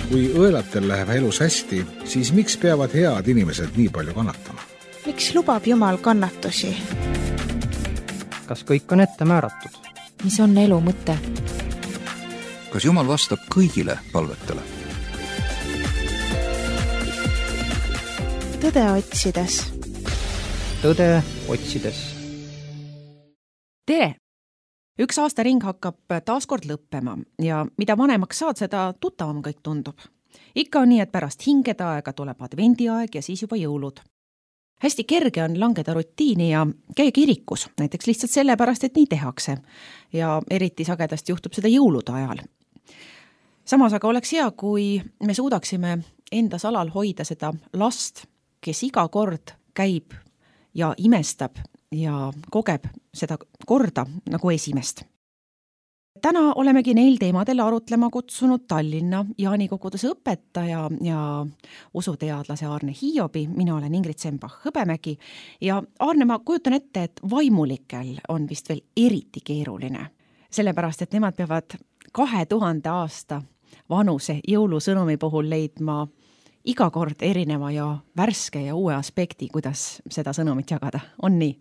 Kui õelatel läheb elus hästi, siis miks peavad head inimesed nii palju kannatama? Miks lubab Jumal kannatusi? Kas kõik on ette määratud? Mis on elu mõte? Kas Jumal vastab kõigile palvetele? Tõde otsides. Tõde otsides. Tere! Üks aastaring hakkab taaskord lõppema ja mida vanemaks saad, seda tuttavam kõik tundub. Ikka on nii, et pärast hingeda aega tuleb advendiaeg ja siis juba jõulud. Hästi kerge on langeda rutiini ja käia kirikus, näiteks lihtsalt sellepärast, et nii tehakse. Ja eriti sagedasti juhtub seda jõulude ajal. Samas aga oleks hea, kui me suudaksime enda salal hoida seda last, kes iga kord käib ja imestab ja kogeb seda korda nagu esimest. Täna olemegi neil teemadel arutlema kutsunud Tallinna Jaanikogudes õpetaja ja usuteadlase Arne Hiobi. Mina olen Ingrid Sembach-Hõbemägi ja Arne, ma kujutan ette, et vaimulikel on vist veel eriti keeruline. Sellepärast, et nemad peavad 2000 aasta vanuse jõulusõnumi puhul leidma iga kord erineva ja värske ja uue aspekti, kuidas seda sõnumit jagada. On nii?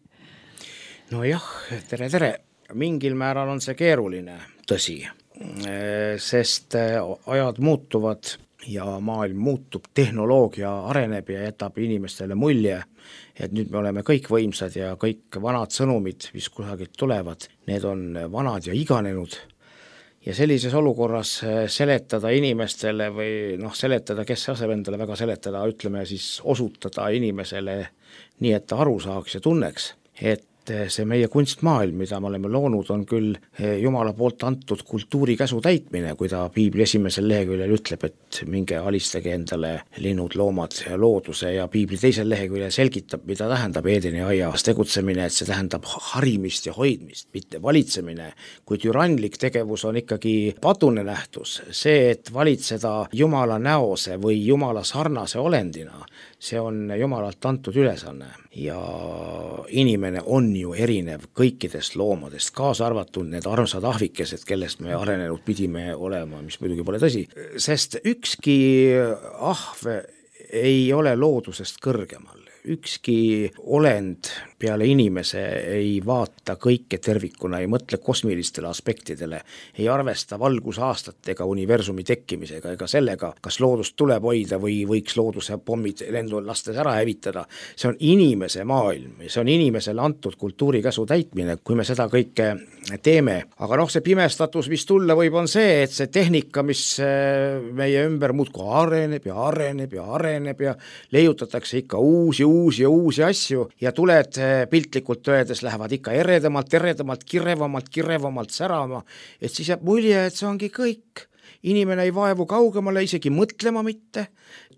No jah, tere. Mingil määral on see keeruline, tõsi, sest ajad muutuvad ja maailm muutub, tehnoloogia areneb ja jätab inimestele mulje, et nüüd me oleme kõik võimsad ja kõik vanad sõnumid, mis kusagilt tulevad, need on vanad ja iganenud. Ja sellises olukorras seletada inimestele või seletada, kes aseb endale väga seletada, ütleme siis osutada inimesele nii, et ta aru saaks ja tunneks, et see meie kunstmaailm, mida me oleme loonud, on küll Jumala poolt antud kultuurikäsu täitmine, kui ta Piibli esimesel leheküljel ütleb, et minge alistage endale linnud, loomad ja looduse, ja Piibli teisel leheküljel selgitab, mida tähendab Eedeni aias tegutsemine, et see tähendab harimist ja hoidmist, mitte valitsemine, kui türanlik tegevus on ikkagi padune nähtus. See, et valitseda Jumala näose või Jumala sarnase olendina, see on Jumalalt antud ülesanne ja inimene on ju erinev kõikidest loomadest, kaasa arvatud need armsad ahvikesed, kellest me arenenud pidime olema, mis muidugi pole tõsi, sest ükski ahv ei ole loodusest kõrgemal. Ükski olend peale inimese ei vaata kõike tervikuna, ei mõtle kosmilistele aspektidele, ei arvesta valgusaastatega, universumi tekkimisega ega sellega, kas loodust tuleb hoida või võiks looduse pommid lendu lastes ära hävitada. See on inimese maailm ja see on inimesele antud kultuurikäsu täitmine, kui me seda kõike teeme. Aga see pimestatus, mis tulla võib, on see, et see tehnika, mis meie ümber muudkui areneb ja leiutatakse ikka uusi asju ja tuled piltlikult öeldes lähevad ikka eredamalt, kirevamalt särama, et siis jääb mulje, et see ongi kõik. Inimene ei vaevu kaugemale, isegi mõtlema mitte,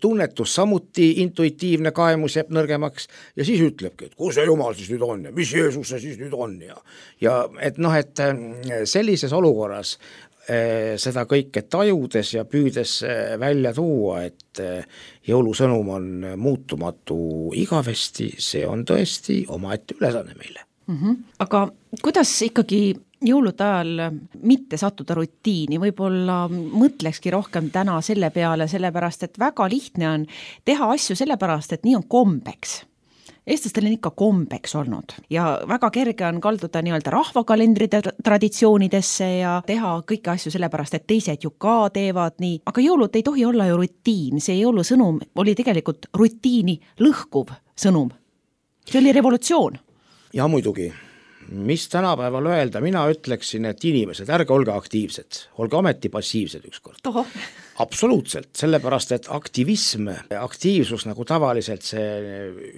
tunnetus samuti, intuitiivne kaemus jääb nõrgemaks ja siis ütlebki, et kus see Jumal siis nüüd on ja mis Jeesus see siis nüüd on ja et sellises olukorras seda kõike tajudes ja püüdes välja tuua, et jõulusõnum on muutumatu igavesti, see on tõesti omaette ülesanne meile. Aga kuidas ikkagi jõulude ajal mitte sattuda rutiini, võib-olla mõtlekski rohkem täna selle peale, sellepärast, et väga lihtne on teha asju sellepärast, et nii on kombeks. Eestlastel on ikka kombeks olnud ja väga kerge on kalduda nii-öelda rahvakalendride traditsioonidesse ja teha kõiki asju sellepärast, et teised ju ka teevad nii. Aga jõulud ei tohi olla ju rutiin, see jõulusõnum oli tegelikult rutiini lõhkuv sõnum. See oli revolutsioon. Ja muidugi, mis tänapäeval öelda, mina ütleksin, et inimesed, ärge olge aktiivsed, olge ometi passiivsed ükskord. Absoluutselt, sellepärast, et aktiivsus, nagu tavaliselt see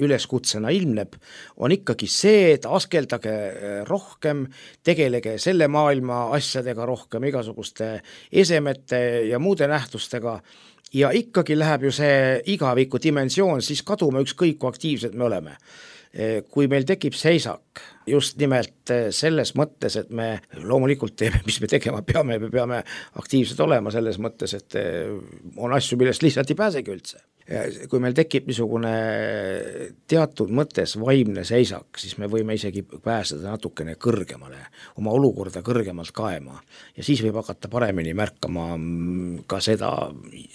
üleskutsena ilmneb, on ikkagi see, et askeldage rohkem, tegelege selle maailma asjadega rohkem, igasuguste esemete ja muude nähtustega, ja ikkagi läheb ju see igaviku dimensioon, siis kadume ükskõik, kui aktiivsed me oleme. Kui meil tekib seisak, just nimelt selles mõttes, et me loomulikult teeme, mis me tegema peame, me peame aktiivsed olema selles mõttes, et on asju, millest lihtsalt ei pääsegi üldse. kui meil tekib niisugune teatud mõttes vaimne seisak, siis me võime isegi pääseda natukene kõrgemale, oma olukorda kõrgemalt kaema ja siis võib hakata paremini märkama ka seda,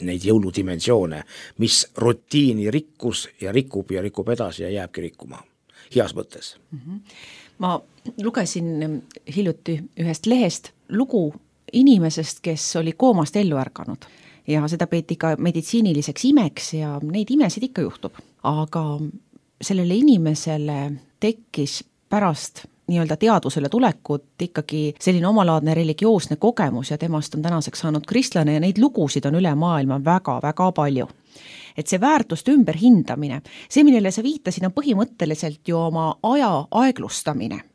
neid jõuludimensioone, mis rutiini rikkus ja rikub edasi ja jääbki rikkuma, heas mõttes. Ma lugesin hiljuti ühest lehest lugu inimesest, kes oli koomast ellu ärganud. Ja seda peeti ka meditsiiniliseks imeks ja neid imesid ikka juhtub. Aga sellele inimesele tekkis pärast nii-öelda teadvusele tulekut ikkagi selline omalaadne religioosne kogemus ja temast on tänaseks saanud kristlane ja neid lugusid on üle maailma väga-väga palju. Et see väärtuste ümberhindamine, see, millele sa viitasid, on põhimõtteliselt ju oma aja aeglustamine.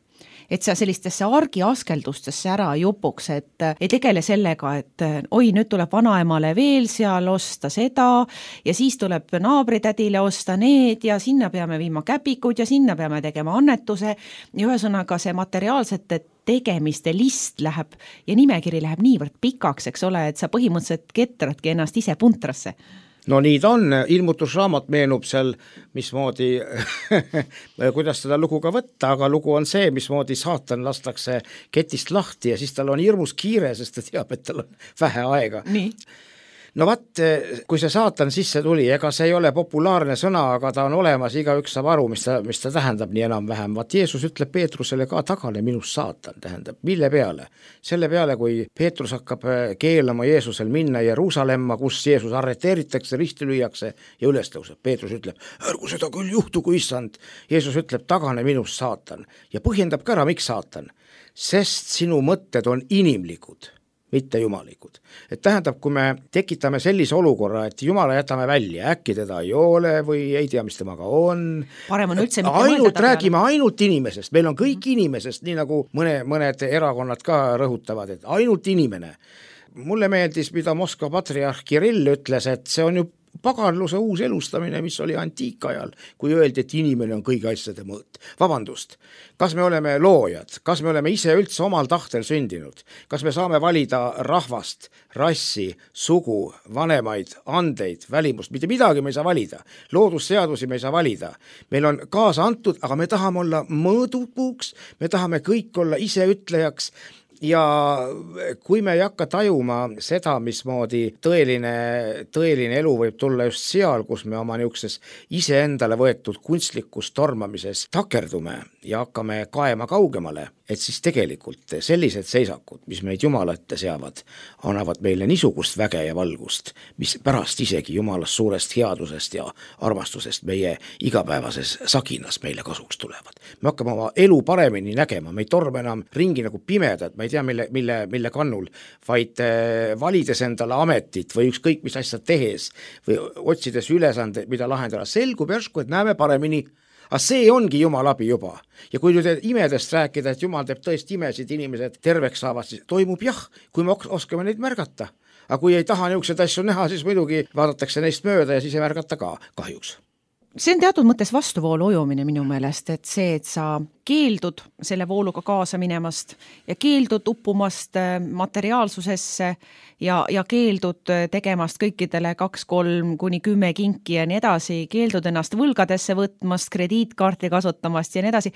Et sa sellistesse argiaskeldustesse ära jupuks, et ei tegele sellega, et oi, nüüd tuleb vanaemale veel seal osta seda ja siis tuleb naabritädile osta need ja sinna peame viima käpikud ja sinna peame tegema annetuse ja ühesõnaga see materiaalsete tegemiste list läheb ja nimekiri läheb niivõrd pikaks, eks ole, et sa põhimõtteliselt ketradki ennast ise puntrasse. No nii ta on, ilmutusraamat meenub seal, mismoodi, kuidas seda lugu ka võtta, aga lugu on see, mismoodi saatan lastakse ketist lahti ja siis tal on hirmus kiire, sest ta teab, et tal on vähe aega. Nii. No vaat, kui see saatan sisse tuli, ega see ei ole populaarne sõna, aga ta on olemas, igaüks saab aru, mis ta tähendab nii enam-vähem. Vaat Jeesus ütleb Peetrusele ka tagane minust saatan, tähendab, mille peale? Selle peale, kui Peetrus hakkab keelama Jeesusel minna Jeruusalemma, kus Jeesus arreteeritakse, risti lüüakse ja üles tõuseb. Peetrus ütleb, ärgu seda küll juhtu, kui issand. Jeesus ütleb, tagane minust saatan ja põhjendab ka ära, miks saatan. Sest sinu mõtted on inimlikud, mitte jumalikud. Et tähendab, kui me tekitame sellise olukorra, et jumala jätame välja, äkki teda ei ole või ei tea, mis temaga on. Parem on üldse mitte räägime ainult inimesest, meil on kõik inimesest, nii nagu mõned erakonnad ka rõhutavad, et ainult inimene. Mulle meeldis, mida Moskva patriarh Kirill ütles, et see on ju paganluse uus elustamine, mis oli antiikajal, kui öeldi, et inimene on kõigi asjade mõõt. Vabandust, kas me oleme loojad, kas me oleme ise üldse omal tahtel sündinud, kas me saame valida rahvast, rassi, sugu, vanemaid, andeid, välimust, mitte midagi me ei saa valida, loodusseadusi me ei saa valida. Meil on kaasa antud, aga me tahame olla mõõdupuuks, me tahame kõik olla ise ütlejaks. Ja kui me ei hakka tajuma seda, mismoodi tõeline elu võib tulla just seal, kus me oma niukses iseendale võetud kunstlikus tormamises takerdume ja hakkame kaema kaugemale, et siis tegelikult sellised seisakud, mis meid Jumala ette seavad, annavad meile niisugust väge ja valgust, mis pärast isegi Jumalast suurest headusest ja armastusest meie igapäevases saginas meile kasuks tulevad. Me hakkame oma elu paremini nägema, me ei torme enam ringi nagu pimedad, ma ei tea, mille kannul, vaid valides endale ametit või ükskõik mis asjad tehes või otsides ülesandeid, mida lahendada, selgub järsku, et näeme paremini. Aga see ongi Jumal abi juba. Ja kui nüüd imedest rääkida, et Jumal teeb tõesti imesid, inimesed terveks saavad, siis toimub jah, kui me oskame neid märgata. Aga kui ei taha niisuguseid asju näha, siis muidugi vaadatakse neist mööda ja siis ei märgata ka kahjuks. See on teatud mõttes vastuvoolu ujumine minu meelest, et see, et sa keeldud selle vooluga kaasa minemast ja keeldud uppumast materiaalsusesse ja keeldud tegemast kõikidele 2, 3 kuni 10 kinki ja nii edasi, keeldud ennast võlgadesse võtmast, krediitkaarti kasutamast ja nii edasi.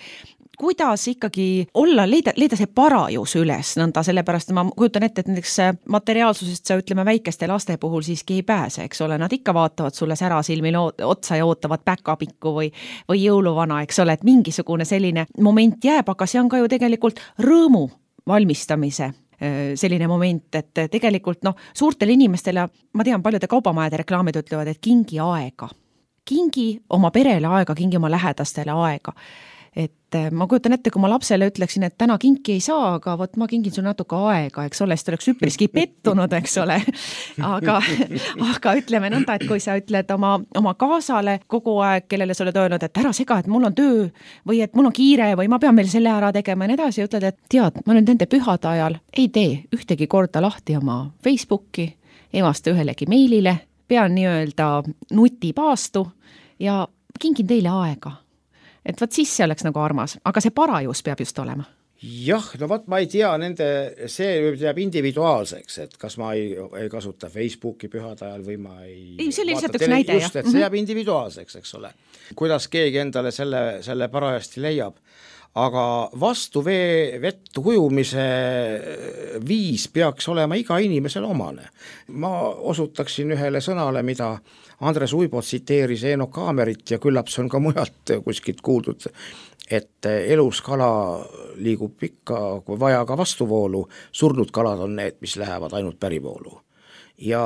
Kuidas ikkagi olla, leida see parajus üles nõnda, sellepärast ma kujutan ette, et näiteks materiaalsusest sa ütleme väikeste laste puhul siiski ei pääse, eks ole, nad ikka vaatavad sulle särasilmil otsa ja ootavad päkapikku või jõuluvana, eks ole, et mingisugune selline moment jääb, aga see on ka ju tegelikult rõõmu valmistamise selline moment, et tegelikult suurtele inimestele, ma tean, paljude kaubamajade reklaamid ütlevad, et kingi aega. Kingi oma perele aega, kingi oma lähedastele aega. Et ma kujutan ette, kui ma lapsele ütleksin, et täna kinki ei saa, aga võt ma kingin sul natuke aega, eks ole, siis oleks üpriski pettunud, eks ole. Aga ütleme nõnda, et kui sa ütled oma kaasale kogu aeg, kellele sa oled öelnud, et ära sega, et mul on töö või et mul on kiire või ma pean meil selle ära tegema ja nii edasi, ütled, et tead, ma nüüd nende pühade ajal ei tee ühtegi korda lahti oma Facebooki, ei vasta ühelegi meilile, pean nii-öelda nutipaastu ja kingin teile aega. Et võt siis see oleks nagu armas, aga see parajus peab just olema. Jah, no vaat ma ei tea, see jääb individuaalseks, et kas ma ei kasuta Facebooki pühade ajal või ma ei see oli lihtsalt üks näide, just, et see jääb individuaalseks, eks ole. Kuidas keegi endale selle parajasti leiab. Aga vastu vett ujumise viis peaks olema iga inimesel omane. Ma osutaksin ühele sõnale, mida Andres Uibo tsiteeris Eino Kaamerit ja küllap see on ka mujalt kuskilt kuuldud, et elus kala liigub ikka, kui vaja ka vastuvoolu, surnud kalad on need, mis lähevad ainult pärivoolu. Ja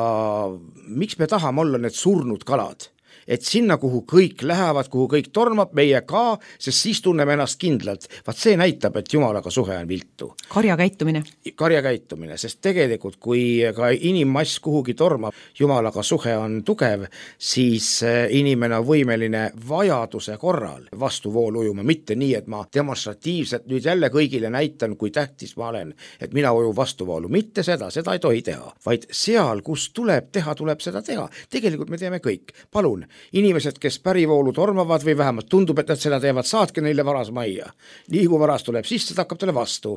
miks me tahame olla need surnud kalad? Et sinna, kuhu kõik lähevad, kuhu kõik tormab, meie ka, sest siis tunneme ennast kindlalt. Vaat see näitab, et Jumalaga suhe on viltu. Karjakäitumine, sest tegelikult, kui ka inimmass kuhugi tormab, Jumalaga suhe on tugev, siis inimene on võimeline vajaduse korral vastuvoolu ujuma, mitte nii, et ma demonstratiivselt nüüd jälle kõigile näitan, kui tähtis ma olen, et mina ujun vastuvoolu. Mitte seda ei tohi teha, vaid seal, kus tuleb teha, tuleb seda teha. Tegelikult me teeme kõik. Palun, inimesed, kes pärivoolu tormavad või vähemalt tundub, et nad seda teevad, saatke neile varas majja. Nii kui varas tuleb sisse, ta hakkab talle vastu.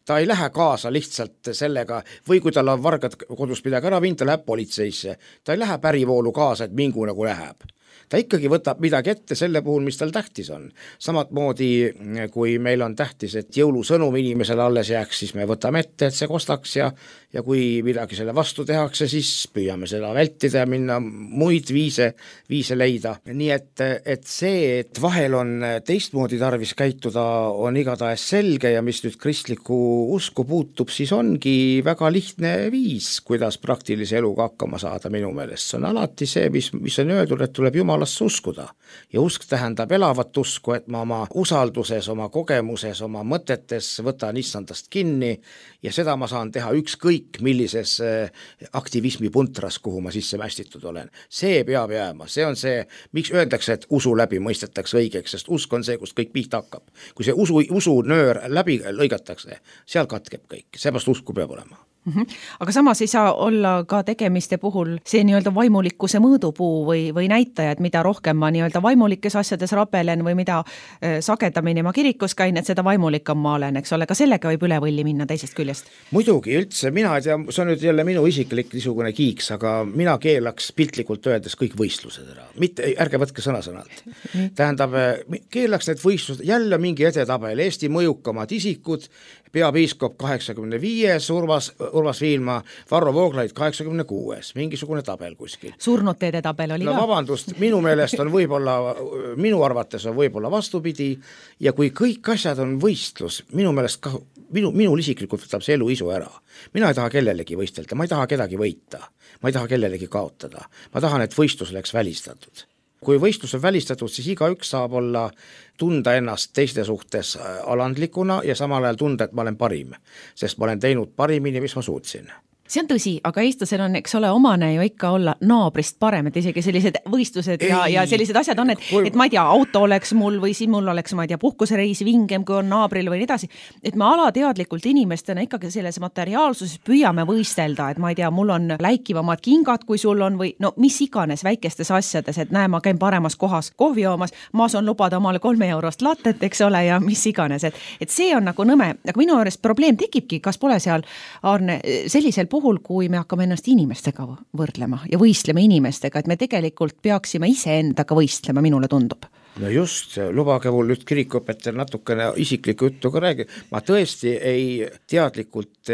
Ta ei lähe kaasa lihtsalt sellega, või kui tal on vargad kodus midagi ära viinud, ta läheb politseisse. Ta ei lähe pärivoolu kaasa, et mingu nagu läheb. Ta ikkagi võtab midagi ette selle puhul, mis tal tähtis on. Samat moodi, kui meil on tähtis, et jõulusõnum inimesele alles jääks, siis me võtame ette, et see kostaks ja kui midagi selle vastu tehakse, siis püüame seda vältida ja minna muid viise leida. Nii et see, et vahel on teistmoodi tarvis käituda, on igatahes selge ja mis nüüd kristliku usku puutub, siis ongi väga lihtne viis, kuidas praktilise eluga hakkama saada minu meelest. See on alati see, mis on öeldud, et tuleb Jumalasse uskuda. Ja usk tähendab elavat usku, et ma oma usalduses, oma kogemuses, oma mõtetes võtan issandast kinni ja seda ma saan teha ükskõik millises aktivismi puntras, kuhu ma sisse mästitud olen. See peab jääma, see on see, miks öeldakse, et usu läbi mõistetakse õigeks, sest usk on see, kust kõik pihta hakkab. Kui see usu nöör läbi lõigatakse, seal katkeb kõik, seepärast usku peab olema. Aga samas ei saa olla ka tegemiste puhul see nii-öelda vaimulikkuse mõõdupuu või näitajad, mida rohkem ma nii-öelda vaimulikes asjades rapelen või mida sagedamini ma kirikus käin, et seda vaimulikam ma olen, eks ole, ka sellega võib üle võlli minna teisest küljest. Muidugi üldse, mina ei tea, see on nüüd jälle minu isiklik niisugune kiiks, aga mina keelaks piltlikult öeldes kõik võistlused ära. Mitte, ärge võtke sõna-sõnalt. Tähendab, keelaks need võistlused, jälle mingi edetabel, Eesti mõjukamad isikud, peapiiskop 85, Urmas Viilma, Varro Vooglaid 86, mingisugune tabel kuskil. Surnud teede tabel oli ka. No vabandust, minu meelest on minu arvates on võib-olla vastupidi ja kui kõik asjad on võistlus, minu meelest ka, minul isiklikult võtab see elu isu ära. Mina ei taha kellelegi võistelda, ma ei taha kedagi võita, ma ei taha kellelegi kaotada, ma tahan, et võistlus oleks välistatud. Kui võistlus on välistatud, siis igaüks saab tunda ennast teiste suhtes alandlikuna ja samal ajal tunda, et ma olen parim, sest ma olen teinud parimini, mis ma suutsin. See on tõsi, aga eestlasel on, eks ole, omane ju ikka olla naabrist parem, et isegi sellised võistlused ja sellised asjad on, et ma ei tea, auto oleks mul või siin mul oleks, ma ei tea, puhkusereis vingem, kui on naabril või nii edasi, et me alateadlikult inimestena ikkagi selles materiaalsuses püüame võistelda, et ma ei tea, mul on läikivamad kingad, kui sul on või no mis iganes väikestes asjades, et näe, ma käin paremas kohas kohvi joomas, ma saan lubada omale 3 eurost lattet, eks ole, ja mis iganes, et see on nagu nõme, aga minu juures probleem tekibki, kas pole seal, Arne, sellisel puhul, kui me hakkame ennast inimestega võrdlema ja võistlema inimestega, et me tegelikult peaksime iseendaga võistlema, minule tundub. No just, lubage mul nüüd kirikuõpetajal natukene isiklikku juttu ka räägi. Ma tõesti ei teadlikult,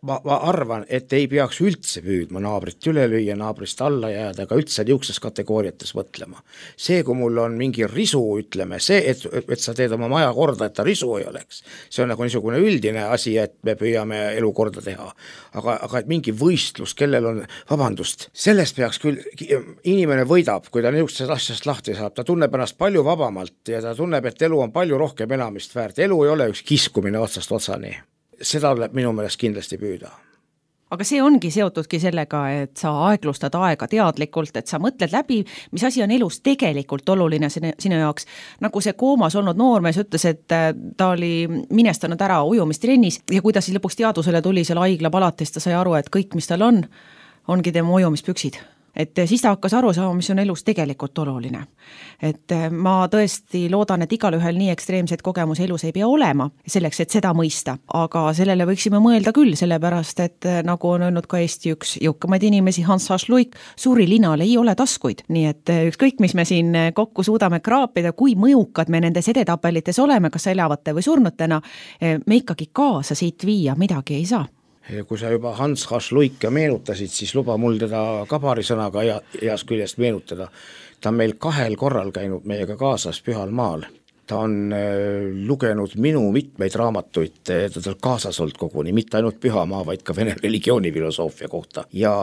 ma arvan, et ei peaks üldse püüdma naabrit üle lüüa, naabrist alla jääda, aga üldse niisuguses kategooriates mõtlema. See, kui mul on mingi risu, ütleme, see, et sa teed oma maja korda, et ta risu ei oleks, see on nagu niisugune üldine asi, et me püüame elu korda teha. Aga et mingi võistlus, kellel on, vabandust, sellest peaks küll, inimene võidab, kui ta niisugusest asjast lahti saab, ta tunneb ennast palju vabamalt ja ta tunneb, et elu on palju rohkem enamist väärt. Elu ei ole üks kiskumine otsast otsani. Seda tuleb minu meelest kindlasti püüda. Aga see ongi seotudki sellega, et sa aeglustad aega teadlikult, et sa mõtled läbi, mis asi on elus tegelikult oluline sinu jaoks. Nagu see koomas olnud noormees ütles, et ta oli minestanud ära ujumistrennis ja kui ta siis lõpuks teadusele tuli seal haigla palatis, ta sai aru, et kõik, mis tal ongi tema ujumispüksid. et siis ta hakkas aru saama, mis on elus tegelikult oluline. Et ma tõesti loodan, et igalühel nii ekstreemseid kogemusi elus ei pea olema selleks, et seda mõista, aga sellele võiksime mõelda küll, sellepärast et nagu on öelnud ka Eesti üks jõukamaid inimesi, Hans H. Luik, suuri linal ei ole taskuid, nii et ükskõik, mis me siin kokku suudame kraapida, kui mõjukad me nendes edetabelites oleme, kas elavate või surnutena, me ikkagi kaasa siit viia midagi ei saa. Kui sa juba Hans H. Luike meenutasid, siis luba mul teda ka paari sõnaga heast küljest meenutada. Ta on meil 2 korral käinud meiega kaasas Pühal maal. Ta on lugenud minu mitmeid raamatuid, ta tal kaasas olnud koguni, mitte ainult Pühamaa, vaid ka vene religioonifilosoofia kohta. Ja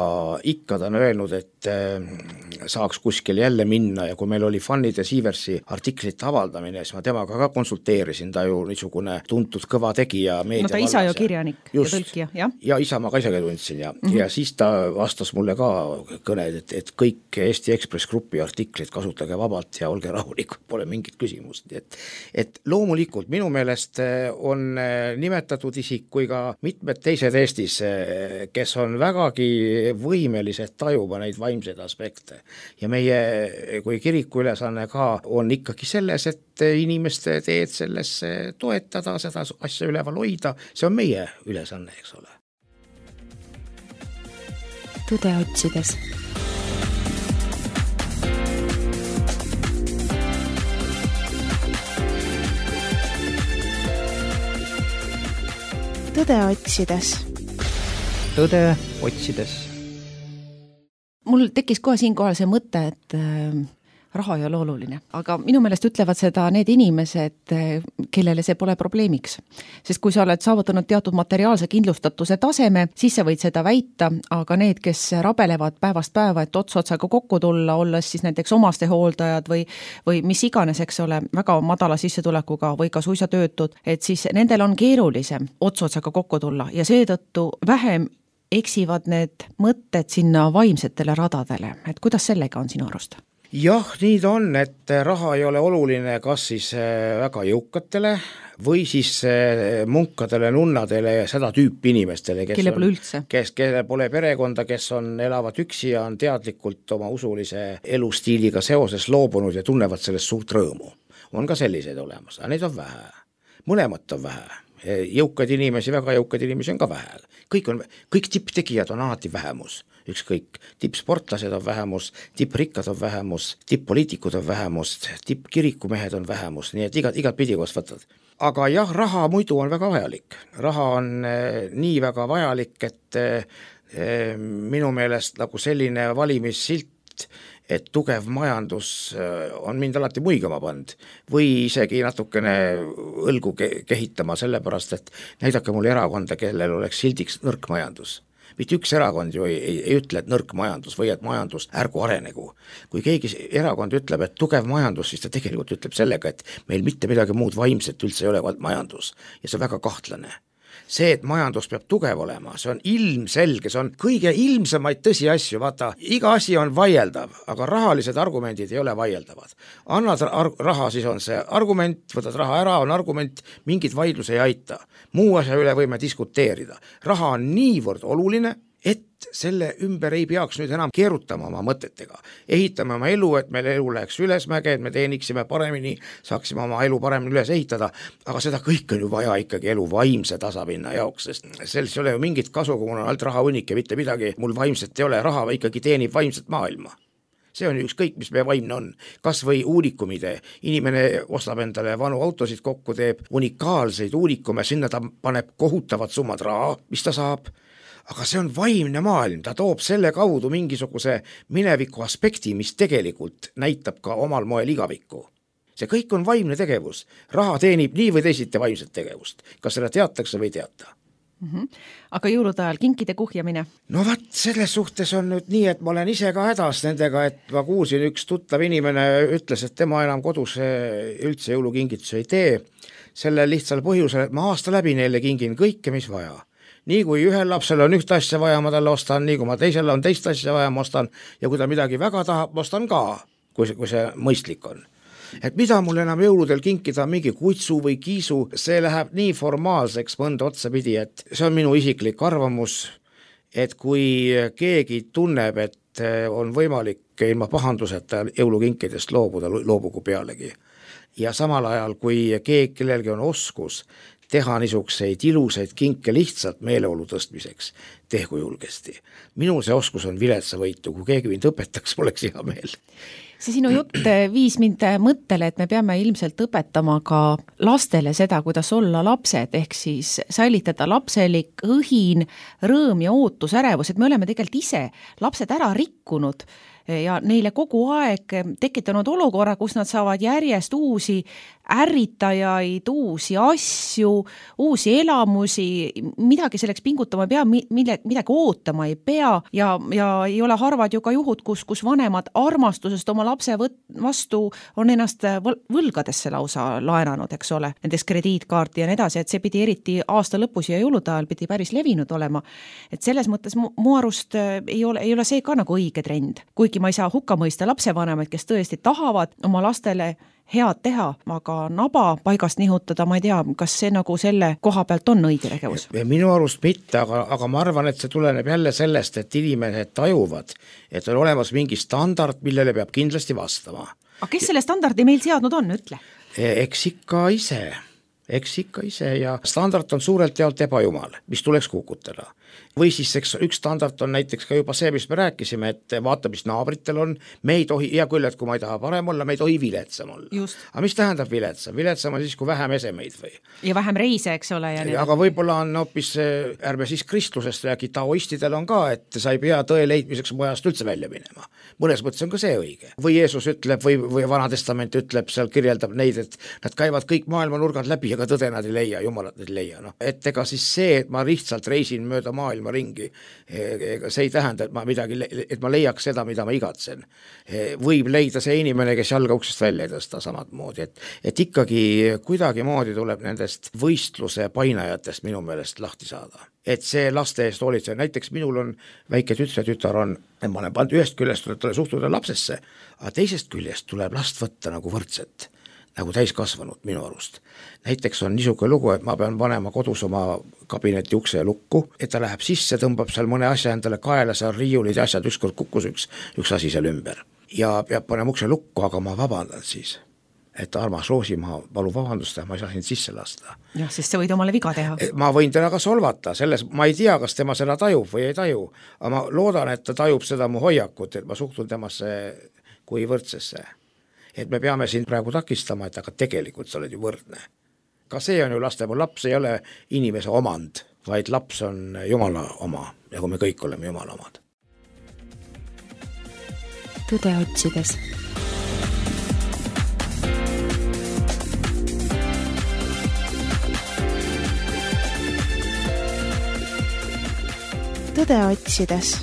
ikka ta on öelnud, et saaks kuskil jälle minna ja kui meil oli Fannide Siiversi artiklite avaldamine, siis ma temaga ka konsulteerisin, ta ju niisugune tuntud kõva tegija. No ta isa ju kirjanik ja tõlkija, jah? Ja isa ma ka isegi tundsin ja siis ta vastas mulle ka kõned, et kõik Eesti Ekspress Grupi artiklid kasutage vabalt ja olge rahulikud, pole mingit küsimust, et loomulikult minu meelest on nimetatud isik kui ka mitmed teised Eestis, kes on vägagi võimelised tajuma neid vaimseid aspekte. Ja meie kui kiriku ülesanne ka on ikkagi selles, et inimeste teed selles toetada, seda asja üleval hoida, see on meie ülesanne, eks ole. Tõde otsides. Tõde otsides. Tõde otsides. Mul tekkis kohe siinkohal see mõte, et raha ei ole oluline, aga minu meelest ütlevad seda need inimesed, kellele see pole probleemiks. Sest kui sa oled saavutanud teatud materiaalse kindlustatuse taseme, siis sa võid seda väita, aga need, kes rabelevad päevast päeva, et ots-otsaga kokku tulla, olles siis näiteks omaste hooldajad või mis iganes, eks ole, väga madala sissetulekuga või ka suisa töötud, et siis nendel on keerulisem ots-otsaga kokku tulla ja seetõttu vähem eksivad need mõtted sinna vaimsetele radadele. Et kuidas sellega on sinu arust? Jah, nii ta on, et raha ei ole oluline kas siis väga jõukatele või siis munkadele, nunnadele ja seda tüüpi inimestele, kelle pole perekonda, kes elavad üksi ja on teadlikult oma usulise elustiiliga seoses loobunud ja tunnevad sellest suurt rõõmu. On ka selliseid olemas, aga neid on vähe. Mõlemat on vähe. Jõukaid inimesi, väga jõukaid inimesi on ka vähe. Kõik tipptegijad on alati vähemus. Ükskõik, tippsportlased on vähemus, tipprikkad on vähemus, tipppoliitikud on vähemus, tippkirikumehed on vähemus, nii et igat pidi koos võtad. Aga jah, raha muidu on väga vajalik. Raha on nii väga vajalik, et minu meelest nagu selline valimissilt, et tugev majandus on mind alati muigama pand või isegi natukene õlgu kehitama sellepärast, et näidake mulle erakonda, kellel oleks sildiks nõrk majandus. Mitte üks erakond ju ei ütle, et nõrk majandus või et majandus ärgu arenegu. Kui keegi erakond ütleb, et tugev majandus, siis ta tegelikult ütleb sellega, et meil mitte midagi muud vaimset üldse ei ole majandus ja see on väga kahtlane. See, et majandus peab tugev olema, see on ilmselge, see on kõige ilmsemaid tõsiasju, vaata, iga asi on vaieldav, aga rahalised argumendid ei ole vaieldavad. Annad raha, siis on see argument, võtad raha ära, on argument, mingit vaidlus ei aita. Muu asja üle võime diskuteerida. Raha on niivõrd oluline, et selle ümber ei peaks nüüd enam keerutama oma mõtetega. Ehitame oma elu, et meil elu läheks ülesmäge, et me teeniksime paremini, saaksime oma elu paremini üles ehitada, aga seda kõik on ju vaja ikkagi elu vaimse tasapinna jaoks, sest selles ei ole ju mingit kasu, kui mul on alt raha hunnik ja mitte midagi, mul vaimset ei ole, raha ikkagi teenib vaimset maailma. See on ükskõik, mis meie vaimne on. Kas või uunikumide. Inimene ostab endale vanu autosid kokku, teeb unikaalseid uunikume, sinna ta paneb kohutavad summad raha, mis ta saab. Aga see on vaimne maailm, ta toob selle kaudu mingisuguse mineviku aspekti, mis tegelikult näitab ka omal moel igavikku. See kõik on vaimne tegevus. Raha teenib nii või teisiti vaimset tegevust. Kas seda teatakse või teata? Aga jõulude ajal kinkide kuhjamine? No vaat, selles suhtes on nüüd nii, et ma olen ise ka hädas nendega, et ma kuulsin üks tuttav inimene ütles, et tema enam kodus üldse jõulukingitusi ei tee. Selle lihtsal põhjusel, et ma aasta läbi neile kingin kõike, mis vaja. Nii kui ühel lapsel on ühte asja vaja, ma talle ostan, nii kui ma teisel on teist asja vaja, ma ostan, ja kui ta midagi väga tahab, ma ostan ka, kui see mõistlik on. Et mida mul enam jõuludel kinkida, mingi kutsu või kiisu, see läheb nii formaalseks mõnda otsapidi, et see on minu isiklik arvamus, et kui keegi tunneb, et et on võimalik ilma pahanduseta jõulukinkidest loobugu pealegi. Ja samal ajal, kui kellelgi on oskus teha niisuguseid ilusaid kinke lihtsalt meeleolu tõstmiseks, tehku julgesti. Minul see oskus on viletsavõitu, kui keegi mind õpetaks, oleks hea meel. See sinu jutt viis mind mõttele, et me peame ilmselt õpetama ka lastele seda, kuidas olla lapsed, ehk siis säilitada lapselik õhin, rõõm ja ootus, ärevus, et me oleme tegelikult ise lapsed ära rikkunud ja neile kogu aeg tekitanud olukorra, kus nad saavad järjest uusi ärritajaid, uusi asju, uusi elamusi, midagi selleks pingutama ei pea, midagi ootama ei pea ja ei ole harvad ju ka juhud, kus vanemad armastusest oma lapse vastu on ennast võlgadesse lausa laenanud, eks ole, näiteks krediitkaarti ja nii edasi, et see pidi eriti aasta lõpus ja jõulude ajal pidi päris levinud olema. Et selles mõttes mu arust ei ole see ka nagu õige trend, kuigi ma ei saa hukka mõista lapsevanemaid, kes tõesti tahavad oma lastele head teha, aga naba paigast nihutada, ma ei tea, kas see nagu selle koha pealt on õige tegevus? Minu arust mitte, aga ma arvan, et see tuleneb jälle sellest, et inimesed tajuvad, et on olemas mingi standard, millele peab kindlasti vastama. Aga kes selle standardi meil seadnud on, ütle? Eks ikka ise ja standard on suurelt jaolt ebajumal, mis tuleks kukutada. Või siis üks standard on näiteks ka juba see, mis me rääkisime, et vaata, mis naabritel on, me ei tohi, hea küll, et kui ma ei taha parem olla, me ei tohi viletsam olla. Aga mis tähendab viletsam? Viletsam on siis, kui vähem esemeid või? Ja vähem reise, eks ole. Aga võib-olla on hoopis, ärme siis kristlusest räägi, taoistidel on ka, et sa ei pea tõe leidmiseks mujast üldse välja minema. Mõnes mõttes on ka see õige. Või Jeesus ütleb või Vana Testament ütleb, seal kirjeldab neid, et nad käivad kõik maailma nurgad läbi, aga tõde nad ei leia, jumalat nad ei leia. No. Et ega siis see, et ma lihtsalt reisin mööda maailma ringi, see ei tähenda, et ma leiaks seda, mida ma igatsen. Võib leida see inimene, kes jalga uksest välja ei tõsta samad moodi, et ikkagi kuidagi moodi tuleb nendest võistluse painajatest minu meelest lahti saada. Et see laste eest hoolitse, näiteks minul on väike tütar on, ma olen pannud ühest küljest tuleb suhtuda lapsesse, aga teisest küljest tuleb last võtta nagu võrdset, nagu täiskasvanud minu arust. Näiteks on niisugune lugu, et ma pean panema kodus oma kabineti ukse lukku, et ta läheb sisse, tõmbab seal mõne asja endale kaela, seal riiulid ja asjad, ükskord kukkus üks asi seal ümber. Ja peab panema ukse lukku, aga ma vabandan siis. Et armas Roosi, ma palun vabandust, ma ei saa sind sisse lasta. Jah, sest sa võid omale viga teha. Ma võin teda ka solvata, ma ei tea, kas tema seda tajub või ei taju, aga ma loodan, et ta tajub seda mu hoiakut, et ma suhtun temasse kui võrdsesse. Et me peame siin praegu takistama, et aga tegelikult sa oled ju võrdne. Ka see on ju laps ei ole inimese omand, vaid laps on Jumala oma, ja kui me kõik oleme Jumala omad. Tõde otsides. Tõde otsides.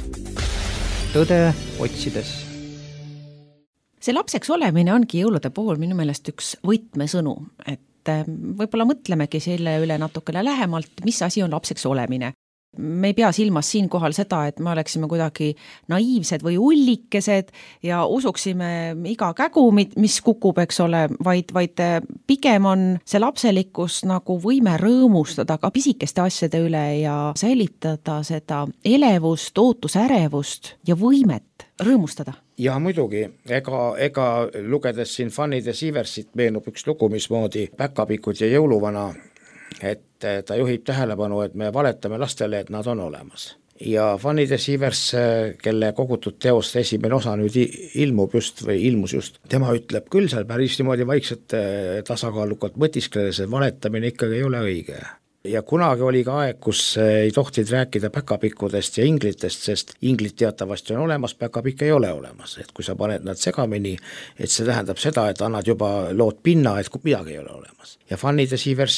Tõde otsides. See lapseks olemine ongi jõulude puhul minu meelest üks võtmesõnu, et võib-olla mõtlemegi selle üle natukene lähemalt, mis asi on lapseks olemine. Me ei pea silmas siinkohal seda, et me oleksime kuidagi naiivsed või ullikesed ja usuksime iga kägu, mis kukub, eks ole, vaid pigem on see lapselikkus nagu võime rõõmustada ka pisikeste asjade üle ja säilitada seda elevust, ootusärevust ja võimet rõõmustada. Ja muidugi, ega lugedes siin Fanny de Sieversit meenub üks lugu, mismoodi Päkapikud ja jõuluvana, et ta juhib tähelepanu, et me valetame lastele, et nad on olemas. Ja Fanny de Sievers, kelle kogutud teost esimene osa nüüd ilmus just, tema ütleb küll seal päris niimoodi vaikselt tasakaalukalt mõtiskledes, et valetamine ikkagi ei ole õige. Ja kunagi oli ka aeg, kus ei tohtid rääkida päkapikkudest ja inglitest, sest inglit teatavasti on olemas, päkapikk ei ole olemas. Et kui sa paned nad segamini, et see tähendab seda, et annad juba lood pinna, et midagi ei ole olemas. Ja Fanny de Sievers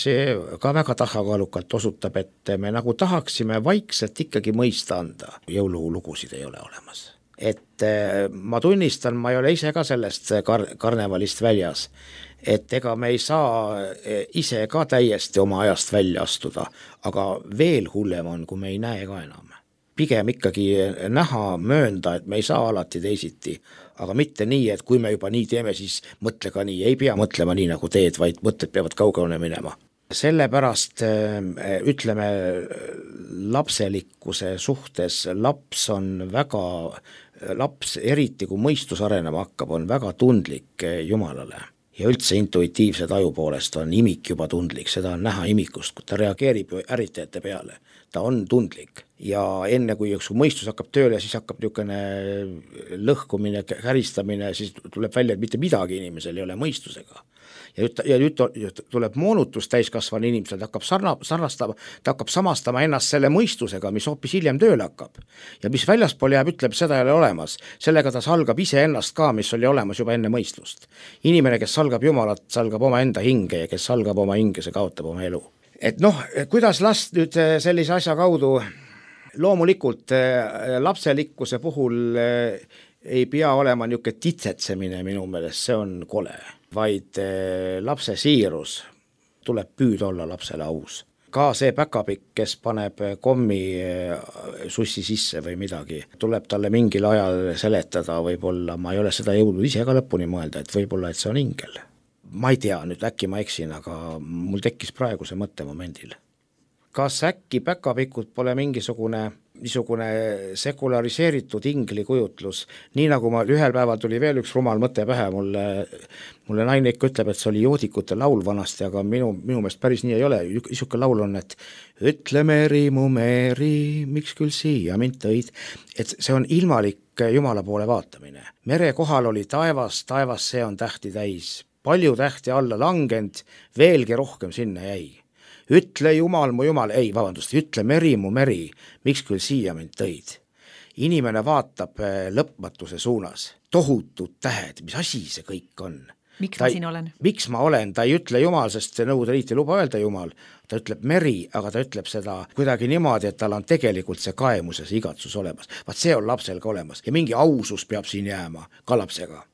ka väga tasakaalukalt osutab, et me nagu tahaksime vaikselt ikkagi mõista anda. Jõululugusid ei ole olemas. Et ma tunnistan, ma ei ole ise ka sellest karnevalist väljas, et ega me ei saa ise ka täiesti oma ajast välja astuda, aga veel hullem on, kui me ei näe ka enam. Pigem ikkagi näha, möönda, et me ei saa alati teisiti, aga mitte nii, et kui me juba nii teeme, siis mõtle ka nii, ei pea mõtlema nii nagu teed, vaid mõtted peavad kaugele minema. Sellepärast ütleme lapselikkuse suhtes laps, eriti kui mõistus arenema hakkab, on väga tundlik Jumalale. Ja üldse intuitiivse taju poolest on imik juba tundlik, seda on näha imikust, kui ta reageerib ärritajate peale. Ta on tundlik ja enne kui mõistus hakkab tööle, siis hakkab niisugune lõhkumine, käristamine, siis tuleb välja, et mitte midagi inimesel ei ole mõistusega. Ja nüüd tuleb moonutus täiskasvanu inimesel, ta hakkab samastama ennast selle mõistusega, mis hoopis hiljem tööle hakkab. Ja mis väljaspool jääb, ütleb, seda ei ole olemas. Sellega ta salgab ise ennast ka, mis oli olemas juba enne mõistust. Inimene, kes salgab Jumalat, salgab oma enda hinge ja kes salgab oma hinge, see kaotab oma elu. Et kuidas last nüüd sellise asja kaudu, loomulikult lapselikkuse puhul ei pea olema niisugune titsetsemine minu meelest, see on kole, vaid lapse siirus tuleb püüd olla lapsele aus. Ka see päkapikk, kes paneb kommi sussi sisse või midagi, tuleb talle mingil ajal seletada, võib-olla, ma ei ole seda jõudnud ise ka lõpuni mõelda, et võib-olla, et see on ingel. Ma ei tea, nüüd äkki ma eksin, aga mul tekkis praegu see mõttemomendil. Kas äkki päkapikud pole niisugune sekulariseeritud ingli kujutlus, nii nagu ma ühel päeval tuli veel üks rumal mõte pähe, mulle naine ikka ütleb, et see oli joodikute laul vanasti, aga minu meelest päris nii ei ole. Niisugune laul on, et ütle Meri, mu Meri, miks küll siia mind tõid, et see on ilmalik Jumala poole vaatamine. Mere kohal oli taevas, see on tähti täis, palju tähti alla langend, veelgi rohkem sinna jäi. Ütle Jumal, mu Jumal, ütle Meri, mu Meri, miks küll siia mind tõid. Inimene vaatab lõpmatuse suunas, tohutud tähed, mis asi see kõik on. Miks ma siin olen? Miks ma olen, ta ei ütle Jumal, sest Nõukogude Liit ei luba öelda Jumal, ta ütleb Meri, aga ta ütleb seda kuidagi niimoodi, et tal on tegelikult see kaemus ja see igatsus olemas. Vaat see on lapsel ka olemas ja mingi ausus peab siin jääma ka lapsega.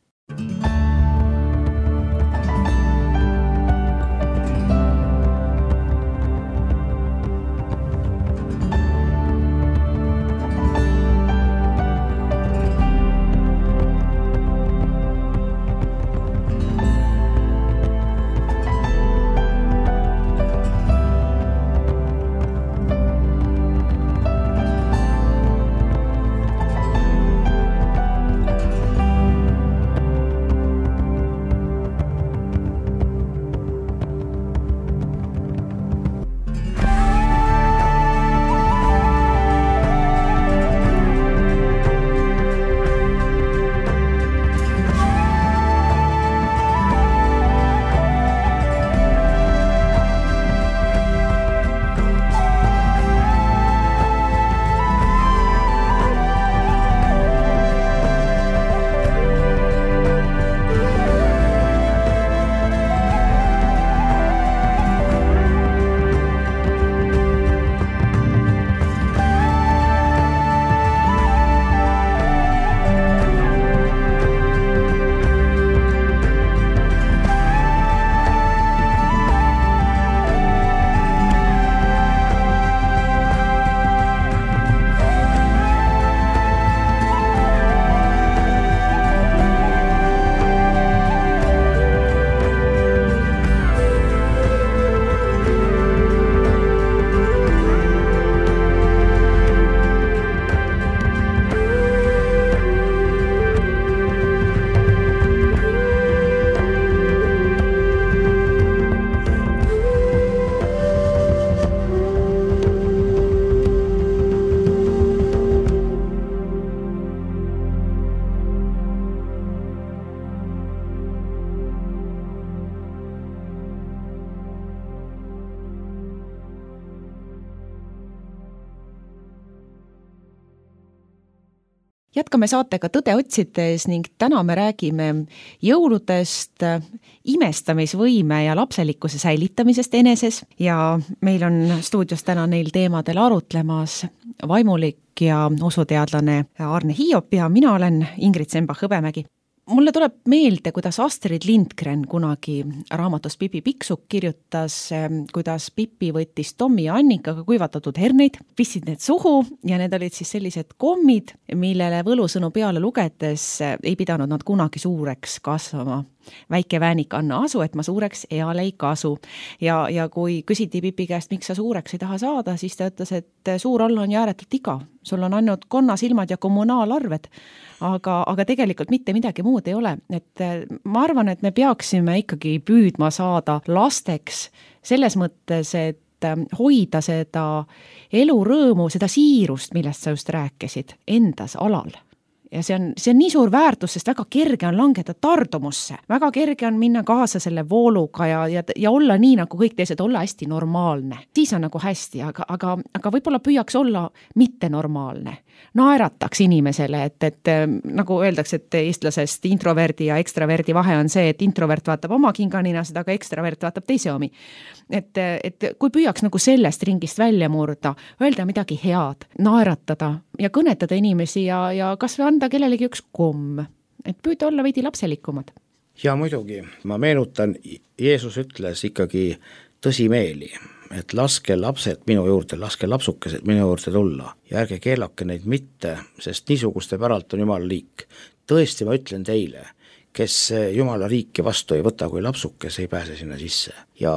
Jätkame saatega Tõde otsides ning täna me räägime jõuludest, imestamisvõime ja lapselikkuse säilitamisest eneses ja meil on stuudios täna neil teemadel arutlemas vaimulik ja usuteadlane Arne Hiiop ja mina olen Ingrid Sembach-Hõbemägi. Mulle tuleb meelde, kuidas Astrid Lindgren kunagi raamatus Pipi Pikksukk kirjutas, kuidas Pipi võttis Tommi ja Annikaga kuivatatud herneid, pissid need suhu ja need olid siis sellised kommid, millele võlusõnu peale lugedes ei pidanud nad kunagi suureks kasvama. väike väänik, anna asu, et ma suureks eal ei kasu. Ja kui küsiti Pipi käest, miks sa suureks ei taha saada, siis ta ütles, et suur olla on ju ääretult igav. Sul on ainult konnasilmad ja kommunaalarved, aga tegelikult mitte midagi muud ei ole. Et ma arvan, et me peaksime ikkagi püüdma saada lasteks selles mõttes, et hoida seda elurõõmu, seda siirust, millest sa just rääkisid, endas alal. Ja see on nii suur väärtus, sest väga kerge on langeda tardumusse. Väga kerge on minna kaasa selle vooluga ja olla nii nagu kõik teised, olla hästi normaalne. Siis on nagu hästi, aga võib-olla püüaks olla mitte normaalne. Naerataks inimesele, et nagu öeldakse, et eestlasest introverdi ja ekstraverdi vahe on see, et introvert vaatab oma kinganinasid, aga ekstravert vaatab teise omi. Et kui püüaks nagu sellest ringist välja murda, öelda midagi head, naeratada ja kõnetada inimesi ja kas või anda kellelegi üks komm, et püüda olla veidi lapselikumad. Ja muidugi, ma meenutan, Jeesus ütles ikkagi tõsimeeli, et laske lapsed minu juurde, laske lapsukesed minu juurde tulla ja ärge keelake neid mitte, sest niisuguste päralt on Jumala riik. Tõesti, ma ütlen teile, kes Jumala riiki vastu ei võta kui lapsukes, ei pääse sinna sisse. Ja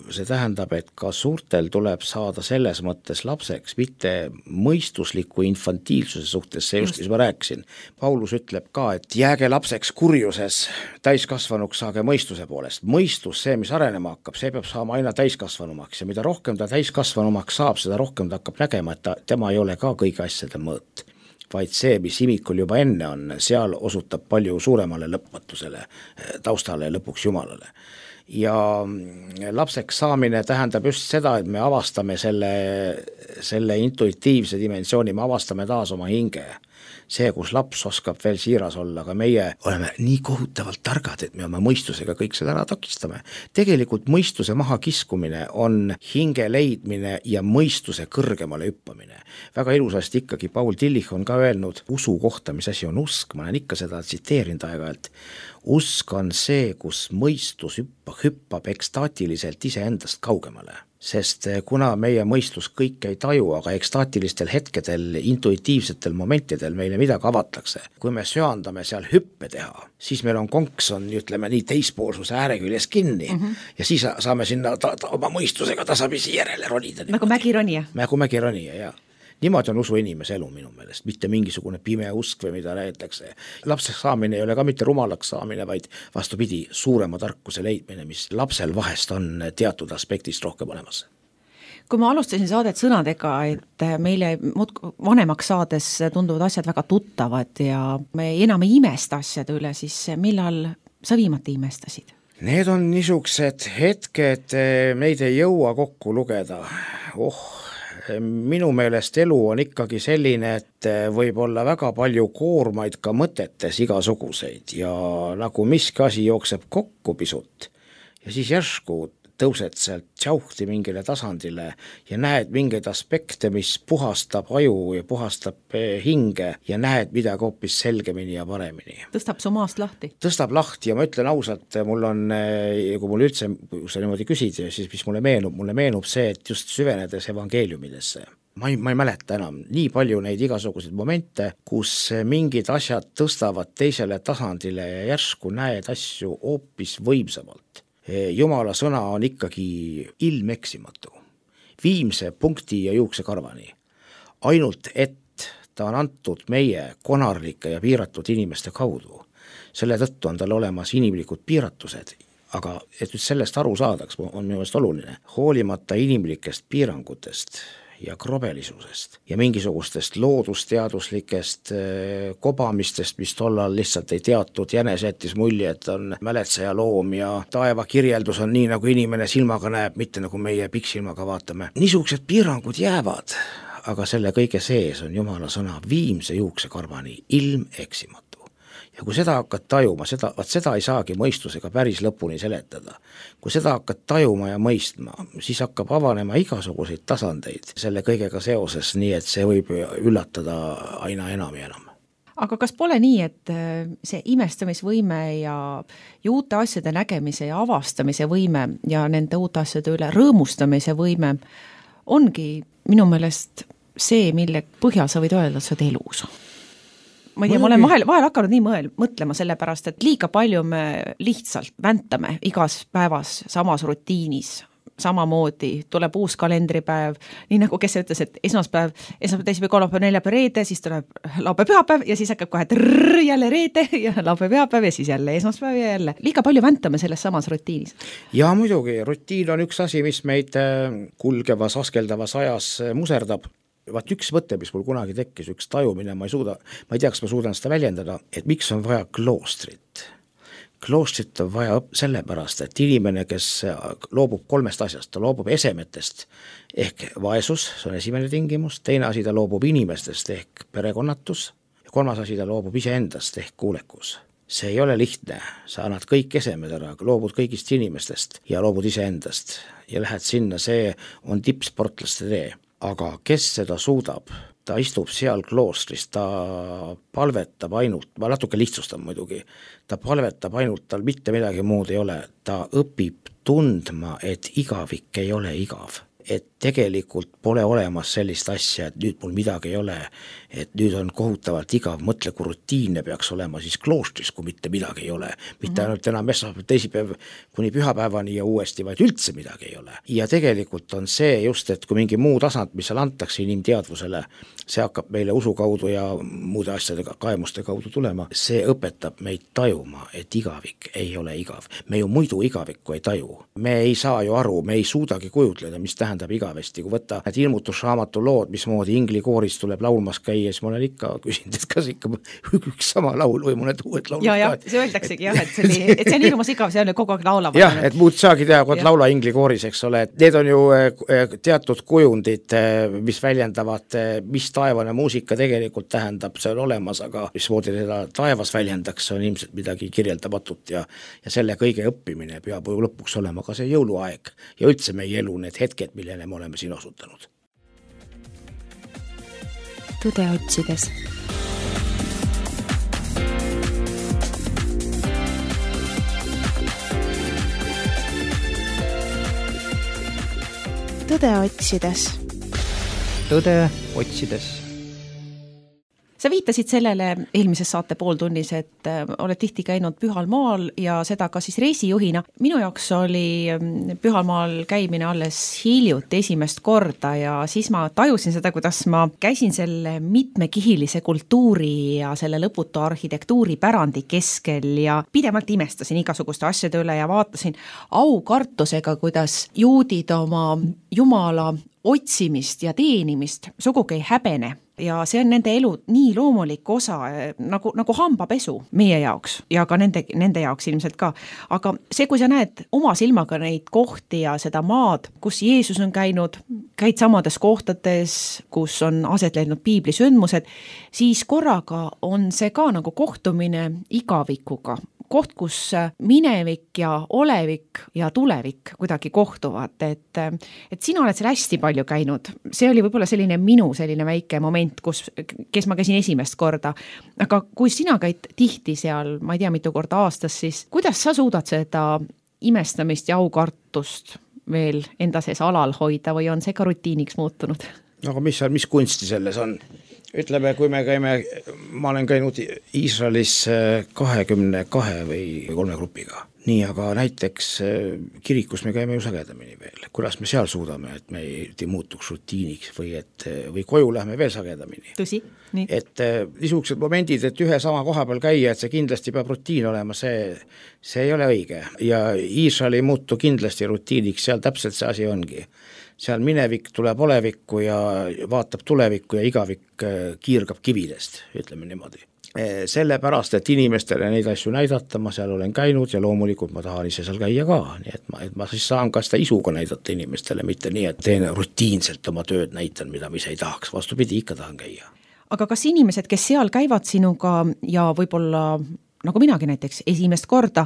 see tähendab, et ka suurtel tuleb saada selles mõttes lapseks, mitte mõistusliku infantiilsuse suhtes, see just, mis ma rääkisin. Paulus ütleb ka, et jääge lapseks kurjuses, täiskasvanuks saage mõistuse poolest. Mõistus, see, mis arenema hakkab, see peab saama aina täiskasvanumaks ja mida rohkem ta täiskasvanumaks saab, seda rohkem ta hakkab nägema, et tema ei ole ka kõigi asjade mõõt, vaid see, mis imikul juba enne on, seal osutab palju suuremale lõpmatusele, taustale ja lõpuks Jumalale. Ja lapseks saamine tähendab just seda, et me avastame selle intuitiivse dimensiooni, me avastame taas oma hinge. See, kus laps oskab veel siiras olla, aga meie oleme nii kohutavalt targad, et me oma mõistusega kõik seda ära takistame. Tegelikult mõistuse maha kiskumine on hinge leidmine ja mõistuse kõrgemale hüppamine. Väga ilusasti ikkagi Paul Tillich on ka öelnud usu kohta, mis asi on usk, ma olen ikka seda tsiteerinud aeg-ajalt. Usk on see, kus mõistus hüppab ekstaatiliselt iseendast kaugemale. Sest kuna meie mõistus kõik ei taju, aga ekstaatilistel hetkedel, intuitiivsetel momentidel meile midagi avatakse. Kui me söandame seal hüppe teha, siis meil on konks on, ütleme nii, teispoolsuse ääreküljes kinni ja siis saame sinna oma mõistusega tasapisi järele ronida. Nagu mägironija. Nagu mägironija, jah. Niimoodi on usu inimese elu minu meelest, mitte mingisugune pime usk või mida räägitakse. Lapseks saamine ei ole ka mitte rumalaks saamine, vaid vastupidi suurema tarkuse leidmine, mis lapsel vahest on teatud aspektist rohkem olemas. Kui ma alustasin saadet sõnadega, et meile vanemaks saades tunduvad asjad väga tuttavad ja me enam ei imesta asjade üle, siis millal sa viimati imestasid? Need on niisugused hetked, meid ei jõua kokku lugeda. Minu meelest elu on ikkagi selline, et võib olla väga palju koormaid ka mõtetes igasuguseid ja nagu miski asi jookseb kokku pisut ja siis järsku tõused sealt tšauhti mingile tasandile ja näed mingeid aspekte, mis puhastab aju ja puhastab hinge ja näed midagi hoopis selgemini ja paremini. Tõstab su maast lahti? Tõstab lahti ja ma ütlen ausalt, mul on, kui mul üldse, kui sa niimoodi küsid, siis mis mulle meenub see, et just süvenedes evangeeliumidesse. Ma ei mäleta enam nii palju neid igasuguseid momente, kus mingid asjad tõstavad teisele tasandile ja järsku näed asju hoopis võimsamalt. Jumala sõna on ikkagi ilmeksimatu, viimse punkti ja juuksekarvani. Ainult et ta on antud meie konarlike ja piiratud inimeste kaudu. Selle tõttu on tal olemas inimlikud piiratused, aga et sellest aru saadaks, on minu meelest oluline. Hoolimata inimlikest piirangutest ja krobelisusest ja mingisugustest loodusteaduslikest kobamistest, mis tollal lihtsalt ei teatud, jänes jättis mulje, et on mäletseja loom ja taeva kirjeldus on nii, nagu inimene silmaga näeb, mitte nagu meie pikksilmaga vaatame. Niisugused piirangud jäävad, aga selle kõige sees on Jumala sõna viimse juuksekarvani ilmeksimatu. Ja kui seda hakkad tajuma, seda ei saagi mõistusega päris lõpuni seletada. Kui seda hakkad tajuma ja mõistma, siis hakkab avanema igasuguseid tasandeid selle kõigega seoses, nii et see võib üllatada aina enam ja enam. Aga kas pole nii, et see imestamisvõime ja uute asjade nägemise ja avastamise võime ja nende uute asjade üle rõõmustamise võime ongi minu meelest see, mille põhjal sa võid öelda, et sa oled elus? ma ei tea, ma olen vahel hakanud nii mõtlema sellepärast, et liiga palju me lihtsalt väntame igas päevas samas rutiinis, samamoodi tuleb uus kalendripäev, nii nagu kes ütles, et esmaspäev, teisipäev, kolmapäev, neljapäev, reede, siis tuleb laupäev, pühapäev ja siis hakkab kohe jälle reede ja laupäev, pühapäev ja siis jälle esmaspäev ja jälle. Liiga palju väntame selles samas rutiinis. Ja muidugi, rutiin on üks asi, mis meid kulgevas, askeldavas ajas muserdab. Vaat üks mõte, mis mul kunagi tekkis, üks tajumine, ma ei tea, kas ma suudan seda väljendada, et miks on vaja kloostrit. Kloostrit on vaja sellepärast, et inimene, kes loobub 3 asjast, ta loobub esemetest ehk vaesus, see on esimene tingimus, teine asi ta loobub inimestest ehk perekonnatus ja 3. asi ta loobub iseendast ehk kuulekus. See ei ole lihtne, sa annad kõik esemed ära, loobud kõigist inimestest ja loobud iseendast ja lähed sinna, see on tippsportlaste tee. Aga kes seda suudab? Ta istub seal kloostris, ta palvetab ainult, ma natuke lihtsustan muidugi, ta palvetab ainult, tal mitte midagi muud ei ole, ta õpib tundma, et igavik ei ole igav. Et tegelikult pole olemas sellist asja, et nüüd mul midagi ei ole, et nüüd on kohutavalt igav, mõtle, kui rutiinne peaks olema siis kloostris, kui mitte midagi ei ole. Mitte ainult enam esmaspäev, teisipäev kuni pühapäevani ja uuesti, vaid üldse midagi ei ole. Ja tegelikult on see just, et kui mingi muu tasand, mis seal antakse inimteadvusele, see hakkab meile usu kaudu ja muude asjadega, kaemuste kaudu tulema, see õpetab meid tajuma, et igavik ei ole igav. Me ju muidu igavikku ei taju. Me ei saa ju aru, me ei suudagi kujutleda, mis tähendab igavesti. Kui võtta need ilmutusraamatu lood, mismoodi inglikooris tuleb laulmas käia, siis ma olen ikka küsinud, et kas ikka üks sama laul või mõned uued laulud. Ja, see öeldaksegi jah, et see on hirmus igav, see on kogu aeg laulama. Jah, et muud saagi teha, kui laula inglikooris, eks ole. Need on ju teatud kujundid, mis väljendavad, mis taevane muusika tegelikult tähendab, see on olemas, aga mismoodi seda taevas väljendaks, on ilmselt midagi kirjeldamatut ja selle kõige õppimine peab lõpuks olema ka see jõuluaeg ja üldse meie elu, need hetked, millele me oleme siin osutanud. Tõde otsides. Tõde otsides. Tõde otsides. Sa viitasid sellele eelmises saate pooltunnis, et oled tihti käinud Pühal maal ja seda ka siis reisijuhina. Minu jaoks oli Pühal maal käimine alles hiljuti esimest korda ja siis ma tajusin seda, kuidas ma käisin selle mitmekihilise kultuuri ja selle lõputu arhitektuuri pärandi keskel ja pidevalt imestasin igasuguste asjade üle ja vaatasin aukartusega, kuidas juudid oma jumala otsimist ja teenimist sugugi ei häbene. Ja see on nende elu nii loomulik osa, nagu hambapesu meie jaoks ja ka nende jaoks ilmselt ka. Aga see, kui sa näed oma silmaga neid kohti ja seda maad, kus Jeesus on käinud, käid samades kohtades, kus on aset leidnud piiblisündmused, siis korraga on see ka nagu kohtumine igavikuga. Koht, kus minevik ja olevik ja tulevik kuidagi kohtuvad, et sina oled seal hästi palju käinud. See oli võib-olla minu väike moment, kes ma käisin esimest korda. Aga kui sina käid tihti seal, ma ei tea mitu korda aastas, siis kuidas sa suudad seda imestamist ja aukartust veel enda sees alal hoida või on see ka rutiiniks muutunud? Aga mis kunsti selles on? Ütleme, kui me käime, ma olen käinud Iisraelis 22 või 3 grupiga. Nii, aga näiteks kirikus me käime ju sagedamini veel. Kuidas me seal suudame, et me ei muutuks rutiiniks või koju lähme veel sagedamini? Tõsi, nii. Et niisugused momendid, et ühe sama koha peal käia, et see kindlasti peab rutiin olema, see ei ole õige. Ja Iisrael ei muutu kindlasti rutiiniks, seal täpselt see asi ongi. Seal minevik tuleb olevikku ja vaatab tulevikku ja igavik kiirgab kividest, ütleme niimoodi. Sellepärast, et inimestele neid asju näidata, ma seal olen käinud ja loomulikult ma tahan ise seal käia ka, nii et ma siis saan ka seda isuga näidata inimestele, mitte nii, et teen rutiinselt oma tööd näitan, mida ma ise ei tahaks, vastupidi, ikka tahan käia. Aga kas inimesed, kes seal käivad sinuga ja võib-olla nagu minagi näiteks esimest korda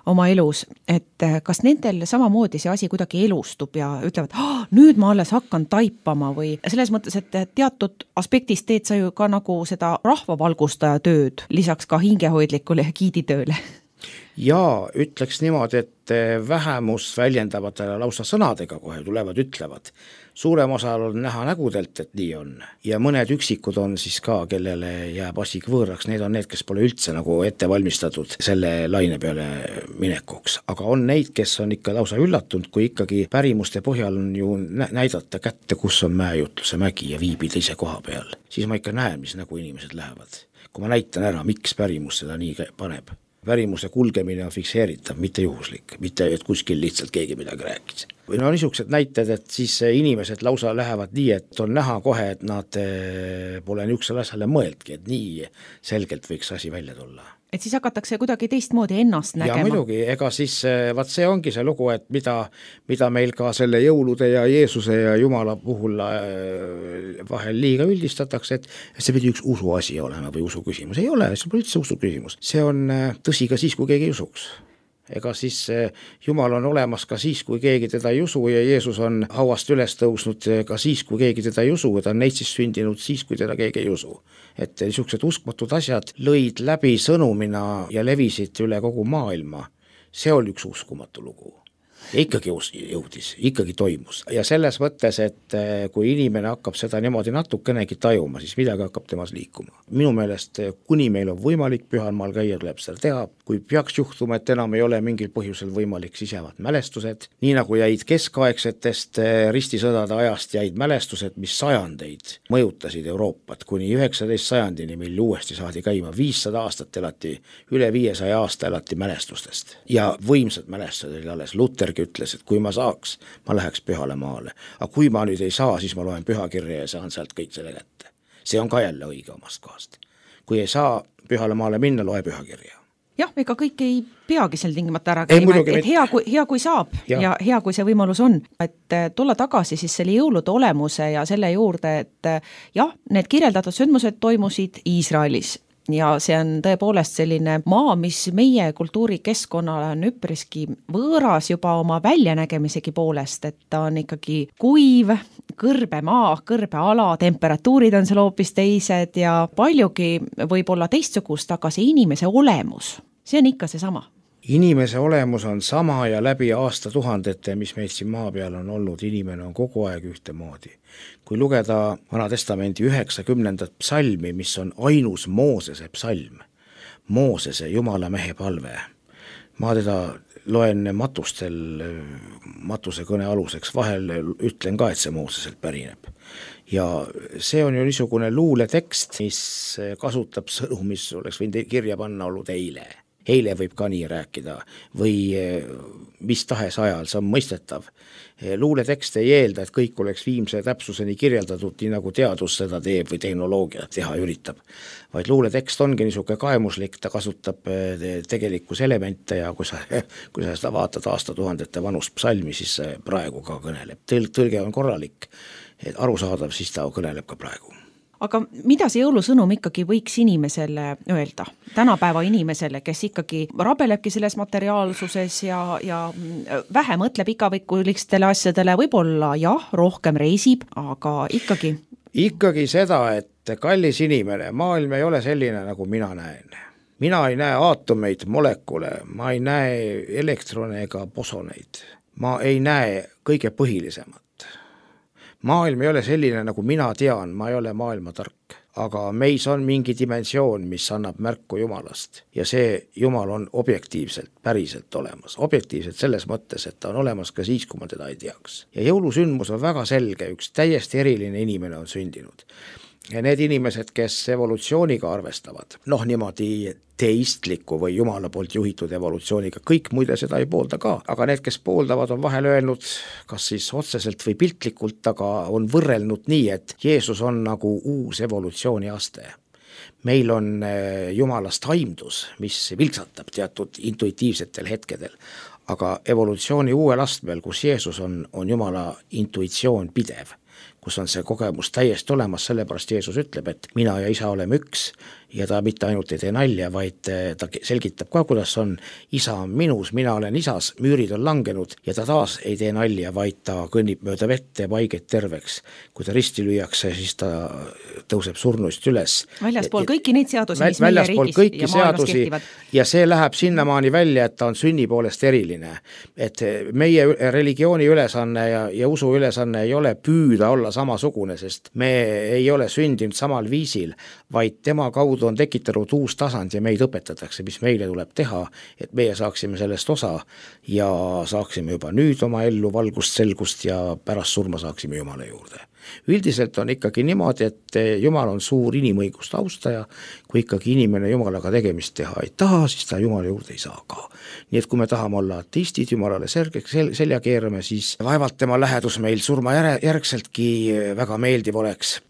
oma elus, et kas nendel samamoodi see asi kuidagi elustub ja ütlevad, nüüd ma alles hakkan taipama või selles mõttes, et teatud aspektist teed sa ju ka nagu seda rahvavalgustaja tööd, lisaks ka hingehoidlikule ja giiditööle? Ja ütleks niimoodi, et vähemust väljendavatele lausa sõnadega kohe tulevad, ütlevad. Suurem osal on näha nägudelt, et nii on. Ja mõned üksikud on siis ka, kellele jääb asi võõraks, need on need, kes pole üldse nagu ette valmistatud selle laine peale minekuks. Aga on neid, kes on ikka lausa üllatunud, kui ikkagi pärimuste põhjal on ju näidata kätte, kus on Mäejutluse mägi ja viibida ise koha peal. Siis ma ikka näen, mis nagu inimesed lähevad. Kui ma näitan ära, miks pärimus seda nii paneb. Pärimuse kulgemine on fikseeritav, mitte juhuslik, mitte et kuskil lihtsalt keegi midagi rääkis. Või no niisugused näited, et siis inimesed lausa lähevad nii, et on näha kohe, et nad pole niisugusele asjale mõeldki, et nii selgelt võiks asi välja tulla. Et siis hakatakse kuidagi teistmoodi ennast nägema. Ja muidugi, ega siis vaat see ongi see lugu, et mida meil ka selle jõulude ja Jeesuse ja Jumala puhul vahel liiga üldistatakse, et see pidi üks usu asi olema või usu küsimus. Ei ole, see pole üldse usu küsimus. See on tõsi ka siis, kui keegi ei usuks. Ega siis Jumal on olemas ka siis, kui keegi teda ei usu ja Jeesus on hauast üles tõusnud ka siis, kui keegi teda ei usu ja ta on neitsist sündinud siis, kui teda keegi ei usu. Et niisugused uskmatud asjad lõid läbi sõnumina ja levisid üle kogu maailma. See oli üks uskumatu lugu. Ja ikkagi jõudis, ikkagi toimus. Ja selles mõttes, et kui inimene hakkab seda niimoodi natukenegi tajuma, siis midagi hakkab temas liikuma. Minu meelest, kuni meil on võimalik pühal maal käia, tuleb seda teha. Kui peaks juhtuma, et enam ei ole mingil põhjusel võimalik, siis jäävad mälestused. Nii nagu jäid keskaegsetest ristisõdade ajast jäid mälestused, mis sajandeid mõjutasid Euroopat kuni 19. sajandini, mil uuesti saadi käima. 500 aastat elati, üle 500 aasta elati mälestustest. Ja võimsad mälestused oli alles. Lutergi ütles, et kui ma saaks, ma läheks pühale maale. Aga kui ma nüüd ei saa, siis ma loen pühakirja ja saan sealt kõik selle kätte. See on ka jälle õige omast kohast. Kui ei saa pühale maale minna, loe pühakirja. Jah, ega kõik ei peagi seal tingimata ära käima, et hea kui saab ja hea kui see võimalus on. Et tulla tagasi siis selle jõulude olemuse ja selle juurde, et jah, need kirjeldatud sündmused toimusid Iisraelis. Ja see on tõepoolest selline maa, mis meie kultuurikeskkonnale on üpriski võõras juba oma väljanägemisegi poolest, et ta on ikkagi kuiv, kõrbe maa, kõrbe ala, temperatuurid on seal hoopis teised ja paljugi võib olla teistsugust, aga see inimese olemus, see on ikka see sama. Inimese olemus on sama ja läbi aastatuhandete, mis meid siin maa peal on olnud, inimene on kogu aeg ühtemoodi. Kui lugeda Vana Testamendi 90. psalmi, mis on ainus Moosese psalm, Moosese Jumala mehe palve, ma teda loen matustel, matuse kõne aluseks, vahel ütlen ka, et see Mooseselt pärineb. Ja see on ju niisugune luuletekst, mis kasutab sõnu, mis oleks võinud kirja panna olnud eile. Eile võib ka nii rääkida või mis tahes ajal, see on mõistetav. Luuletekst ei eelda, et kõik oleks viimse täpsuseni kirjeldatud, nii nagu teadus seda teeb või tehnoloogia teha üritab. Vaid luuletekst ongi niisugune kaemuslik, ta kasutab tegelikus elemente ja kui sa seda vaatad aastatuhandete vanust psalmi, siis praegu ka kõneleb. Tõlge on korralik, et arusaadav, siis ta kõneleb ka praegu. Aga mida see jõulusõnum ikkagi võiks inimesele öelda? Tänapäeva inimesele, kes ikkagi rabelebki selles materiaalsuses ja vähe mõtleb igavikulistele asjadele, võib-olla jah, rohkem reisib, aga ikkagi? Ikkagi seda, et kallis inimene, maailm ei ole selline, nagu mina näen. Mina ei näe aatomeid, molekule, ma ei näe elektrone ega bosoneid. Ma ei näe kõige põhilisemat. Maailm ei ole selline, nagu mina tean, ma ei ole maailma tark, aga meis on mingi dimensioon, mis annab märku Jumalast ja see Jumal on objektiivselt, päriselt olemas. Objektiivselt selles mõttes, et ta on olemas ka siis, kui ma teda ei teaks. Ja jõulusündmus on väga selge, üks täiesti eriline inimene on sündinud. Ja need inimesed, kes evolutsiooniga arvestavad, niimoodi teistliku või Jumala poolt juhitud evolutsiooniga, kõik muide seda ei poolda ka, aga need, kes pooldavad, on vahel öelnud, kas siis otseselt või piltlikult, aga on võrrelnud nii, et Jeesus on nagu uus evolutsiooniaste. Meil on Jumalast aimdus, mis vilksatab teatud intuitiivsetel hetkedel, aga evolutsiooni uuel astmel, kus Jeesus on Jumala intuitsioon pidev. kus on see kogemus täiesti olemas, sellepärast Jeesus ütleb, et mina ja isa oleme üks ja ta mitte ainult ei tee nalja, vaid ta selgitab ka, kuidas on, isa on minus, mina olen isas, müürid on langenud ja ta taas ei tee nalja, vaid ta kõnnib mööda vett ja haiget terveks. Kui ta risti lüüakse, siis ta tõuseb surnuist üles. Väljaspool kõiki neid seadusi, mis meie riigis ja maailmas kehtivad. Ja see läheb sinnamaani välja, et ta on sünni poolest eriline. Et meie religiooni ülesanne ja usu ülesanne ei ole püüda olla samasugune, sest me ei ole sündinud samal viisil, vaid tema kaudu on tekitanud uus tasand ja meid õpetatakse, mis meile tuleb teha, et meie saaksime sellest osa ja saaksime juba nüüd oma ellu valgust, selgust ja pärast surma saaksime Jumala juurde. Üldiselt on ikkagi niimoodi, et Jumal on suur inimõiguste austaja, kui ikkagi inimene Jumalaga tegemist teha ei taha, siis ta Jumala juurde ei saa ka. Nii et kui me tahame olla ateistid, Jumalale selja keerame, siis vaevalt tema lähedus meil surma järgseltki väga meeldiv oleks.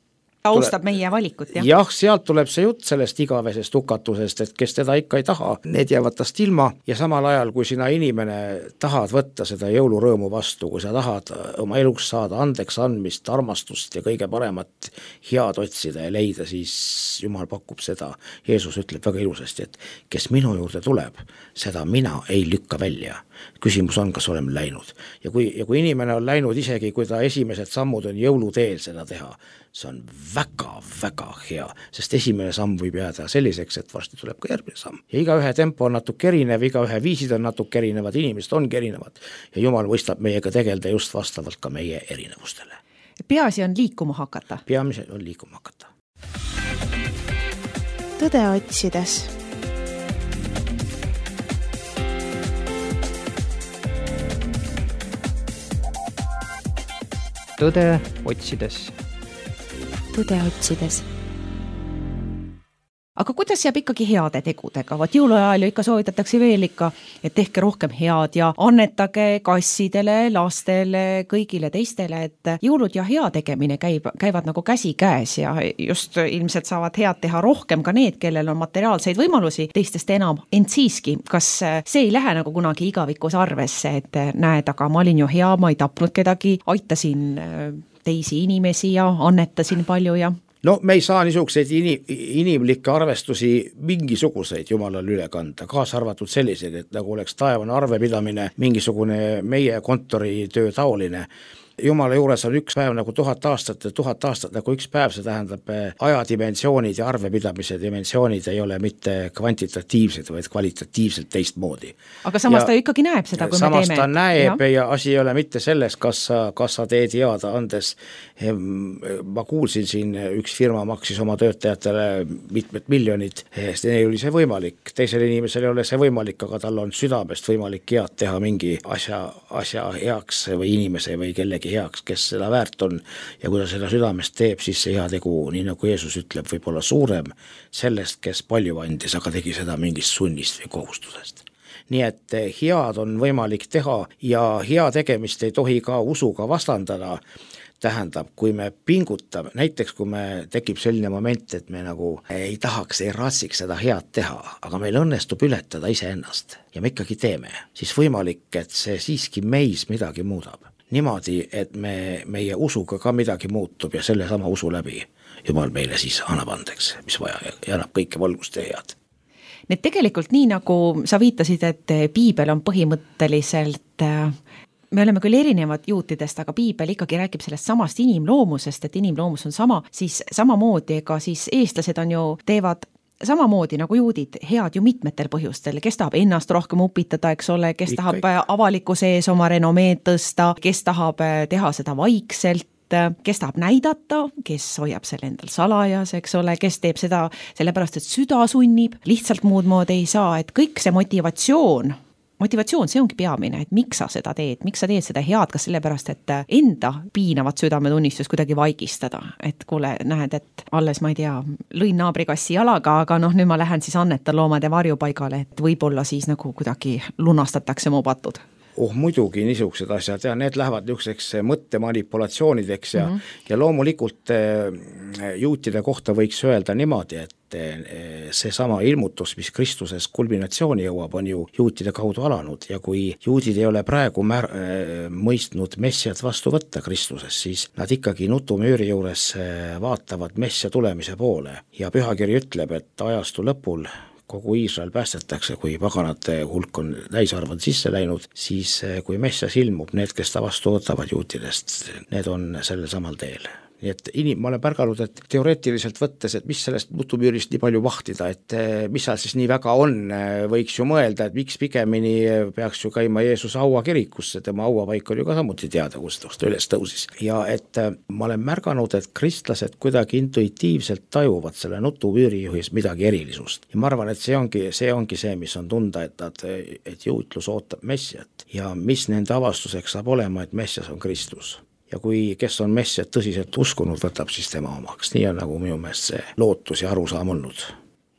Austab meie valikut, jah? Jah, sealt tuleb see jutt sellest igavesest hukatusest, et kes teda ikka ei taha, need jäävad tast ilma ja samal ajal, kui sina inimene tahad võtta seda jõulurõõmu vastu, kui sa tahad oma eluks saada andeks andmist, armastust ja kõige paremat head otsida ja leida, siis Jumal pakub seda. Jeesus ütleb väga ilusasti, et kes minu juurde tuleb, seda mina ei lükka välja. Küsimus on, kas oleme läinud. Ja kui inimene on läinud isegi, kui ta esimesed sammud on jõuluteel seda teha, see on väga-väga hea, sest esimene samm võib jääda selliseks, et varsti tuleb ka järgmine samm. Ja igaühe tempo on natuke erinev, igaühe viisid on natuke erinevad, inimesed on erinevad ja Jumal võistab meiega tegelda just vastavalt ka meie erinevustele. Peaasi on liikuma hakata. Peamise on liikuma hakata. Tõde otsides. Tõde otsides. Tõde otsides. Aga kuidas jääb ikkagi heade tegudega? Vaat jõuluajal ju ikka soovitatakse veel ikka, et tehke rohkem head ja annetage kassidele, lastele, kõigile teistele, et jõulud ja hea tegemine käivad nagu käsi käes ja just ilmselt saavad head teha rohkem ka need, kellel on materiaalseid võimalusi teistest enam. Ent siiski, kas see ei lähe nagu kunagi igavikus arvesse, et näed, aga ma olin ju hea, ma ei tapnud kedagi, aitasin teisi inimesi ja annetasin palju ja... No me ei saa niisuguseid inimlikke arvestusi mingisuguseid Jumalal üle kanda, kaasa arvatud selliseid, et nagu oleks taevane arvepidamine mingisugune meie kontoritöö taoline. Jumala juures on üks päev nagu 1000 aastat ja 1000 aastat nagu üks päev, see tähendab ajadimensioonid ja arvepidamise dimensioonid ei ole mitte kvantitatiivsed, vaid kvalitatiivselt teistmoodi. Aga samas ta ikkagi näeb seda, kui me teeme. Samas ta näeb ja asi ei ole mitte selles, kas sa teed head andes. Ma kuulsin siin, üks firma maksis oma töötajatele mitmed miljonid, neil oli see võimalik, teisel inimesel ei ole see võimalik, aga tal on südamest võimalik head teha mingi asja heaks või inimese või kellegi heaks, kes seda väärt on ja kui ta seda südamest teeb, siis see hea tegu, nii nagu Jeesus ütleb, võib olla suurem sellest, kes palju andis, aga tegi seda mingist sunnist või kohustusest. Nii et head on võimalik teha ja hea tegemist ei tohi ka usuga vastandada. Tähendab, kui me pingutame, näiteks kui me tekib selline moment, et me nagu ei tahaks, ei raatsiks seda head teha, aga meil õnnestub ületada iseennast ja me ikkagi teeme, siis võimalik, et see siiski meis midagi muudab. Niimoodi, et meie usuga ka midagi muutub ja selle sama usu läbi Jumal meile siis annab andeks, mis vaja ja annab kõike valgust ja head. Need tegelikult nii, nagu sa viitasid, et piibel on põhimõtteliselt... Me oleme küll erinevad juutidest, aga piibel ikkagi räägib sellest samast inimloomusest, et inimloomus on sama, siis samamoodi, ega siis eestlased on ju, teevad samamoodi nagu juudid head ju mitmetel põhjustel, kes tahab ennast rohkem upitada, eks ole, kes tahab avalikkuse ees oma renomeed tõsta, kes tahab teha seda vaikselt, kes tahab näidata, kes hoiab selle endal salajas, eks ole, kes teeb seda sellepärast, et süda sunnib, lihtsalt muud moodi ei saa, et kõik see motivatsioon, see ongi peamine, et miks sa seda teed, miks sa teed seda head, kas sellepärast, et enda piinavat südametunnistust kuidagi vaikistada, et kuule, näed, et alles ma ei tea, lõin naabrikassi jalaga, aga nüüd ma lähen siis annetan loomade varjupaigale, et võib-olla siis nagu kuidagi lunastatakse mu patud. muidugi niisugused asjad ja need lähevad niisuguseks mõttemanipulatsioonideks ja loomulikult juutide kohta võiks öelda niimoodi, et see sama ilmutus, mis Kristuses kulminatsiooni jõuab, on ju juutide kaudu alanud ja kui juudid ei ole praegu mõistnud messiat vastu võtta Kristuses, siis nad ikkagi nutumüüri juures vaatavad messia tulemise poole ja pühakiri ütleb, et ajastu lõpul kogu Iisrael päästetakse, kui paganate hulk on täisarvad sisse läinud, siis kui messias ilmub, need, kes ta vastu võtavad juutidest, need on sellel samal teel. Nii et ma olen pärganud, et teoreetiliselt võttes, et mis sellest nutumüürist nii palju vahtida, et mis seal siis nii väga on, võiks ju mõelda, et miks pigemini peaks ju käima Jeesuse hauakirikusse, tema hauapaik on ju ka samuti teada, kus ta üles tõusis. Ja et ma olen märganud, et kristlased kuidagi intuitiivselt tajuvad selle nutumüürijuhis midagi erilisust. Ja ma arvan, et see ongi see, mis on tunda, et juutlus ootab messiat ja mis nende avastuseks saab olema, et messias on Kristus. Ja kui kes on messiat tõsiselt uskunud, võtab siis tema omaks. Nii on nagu minu meelest see lootus ja arusaam olnud.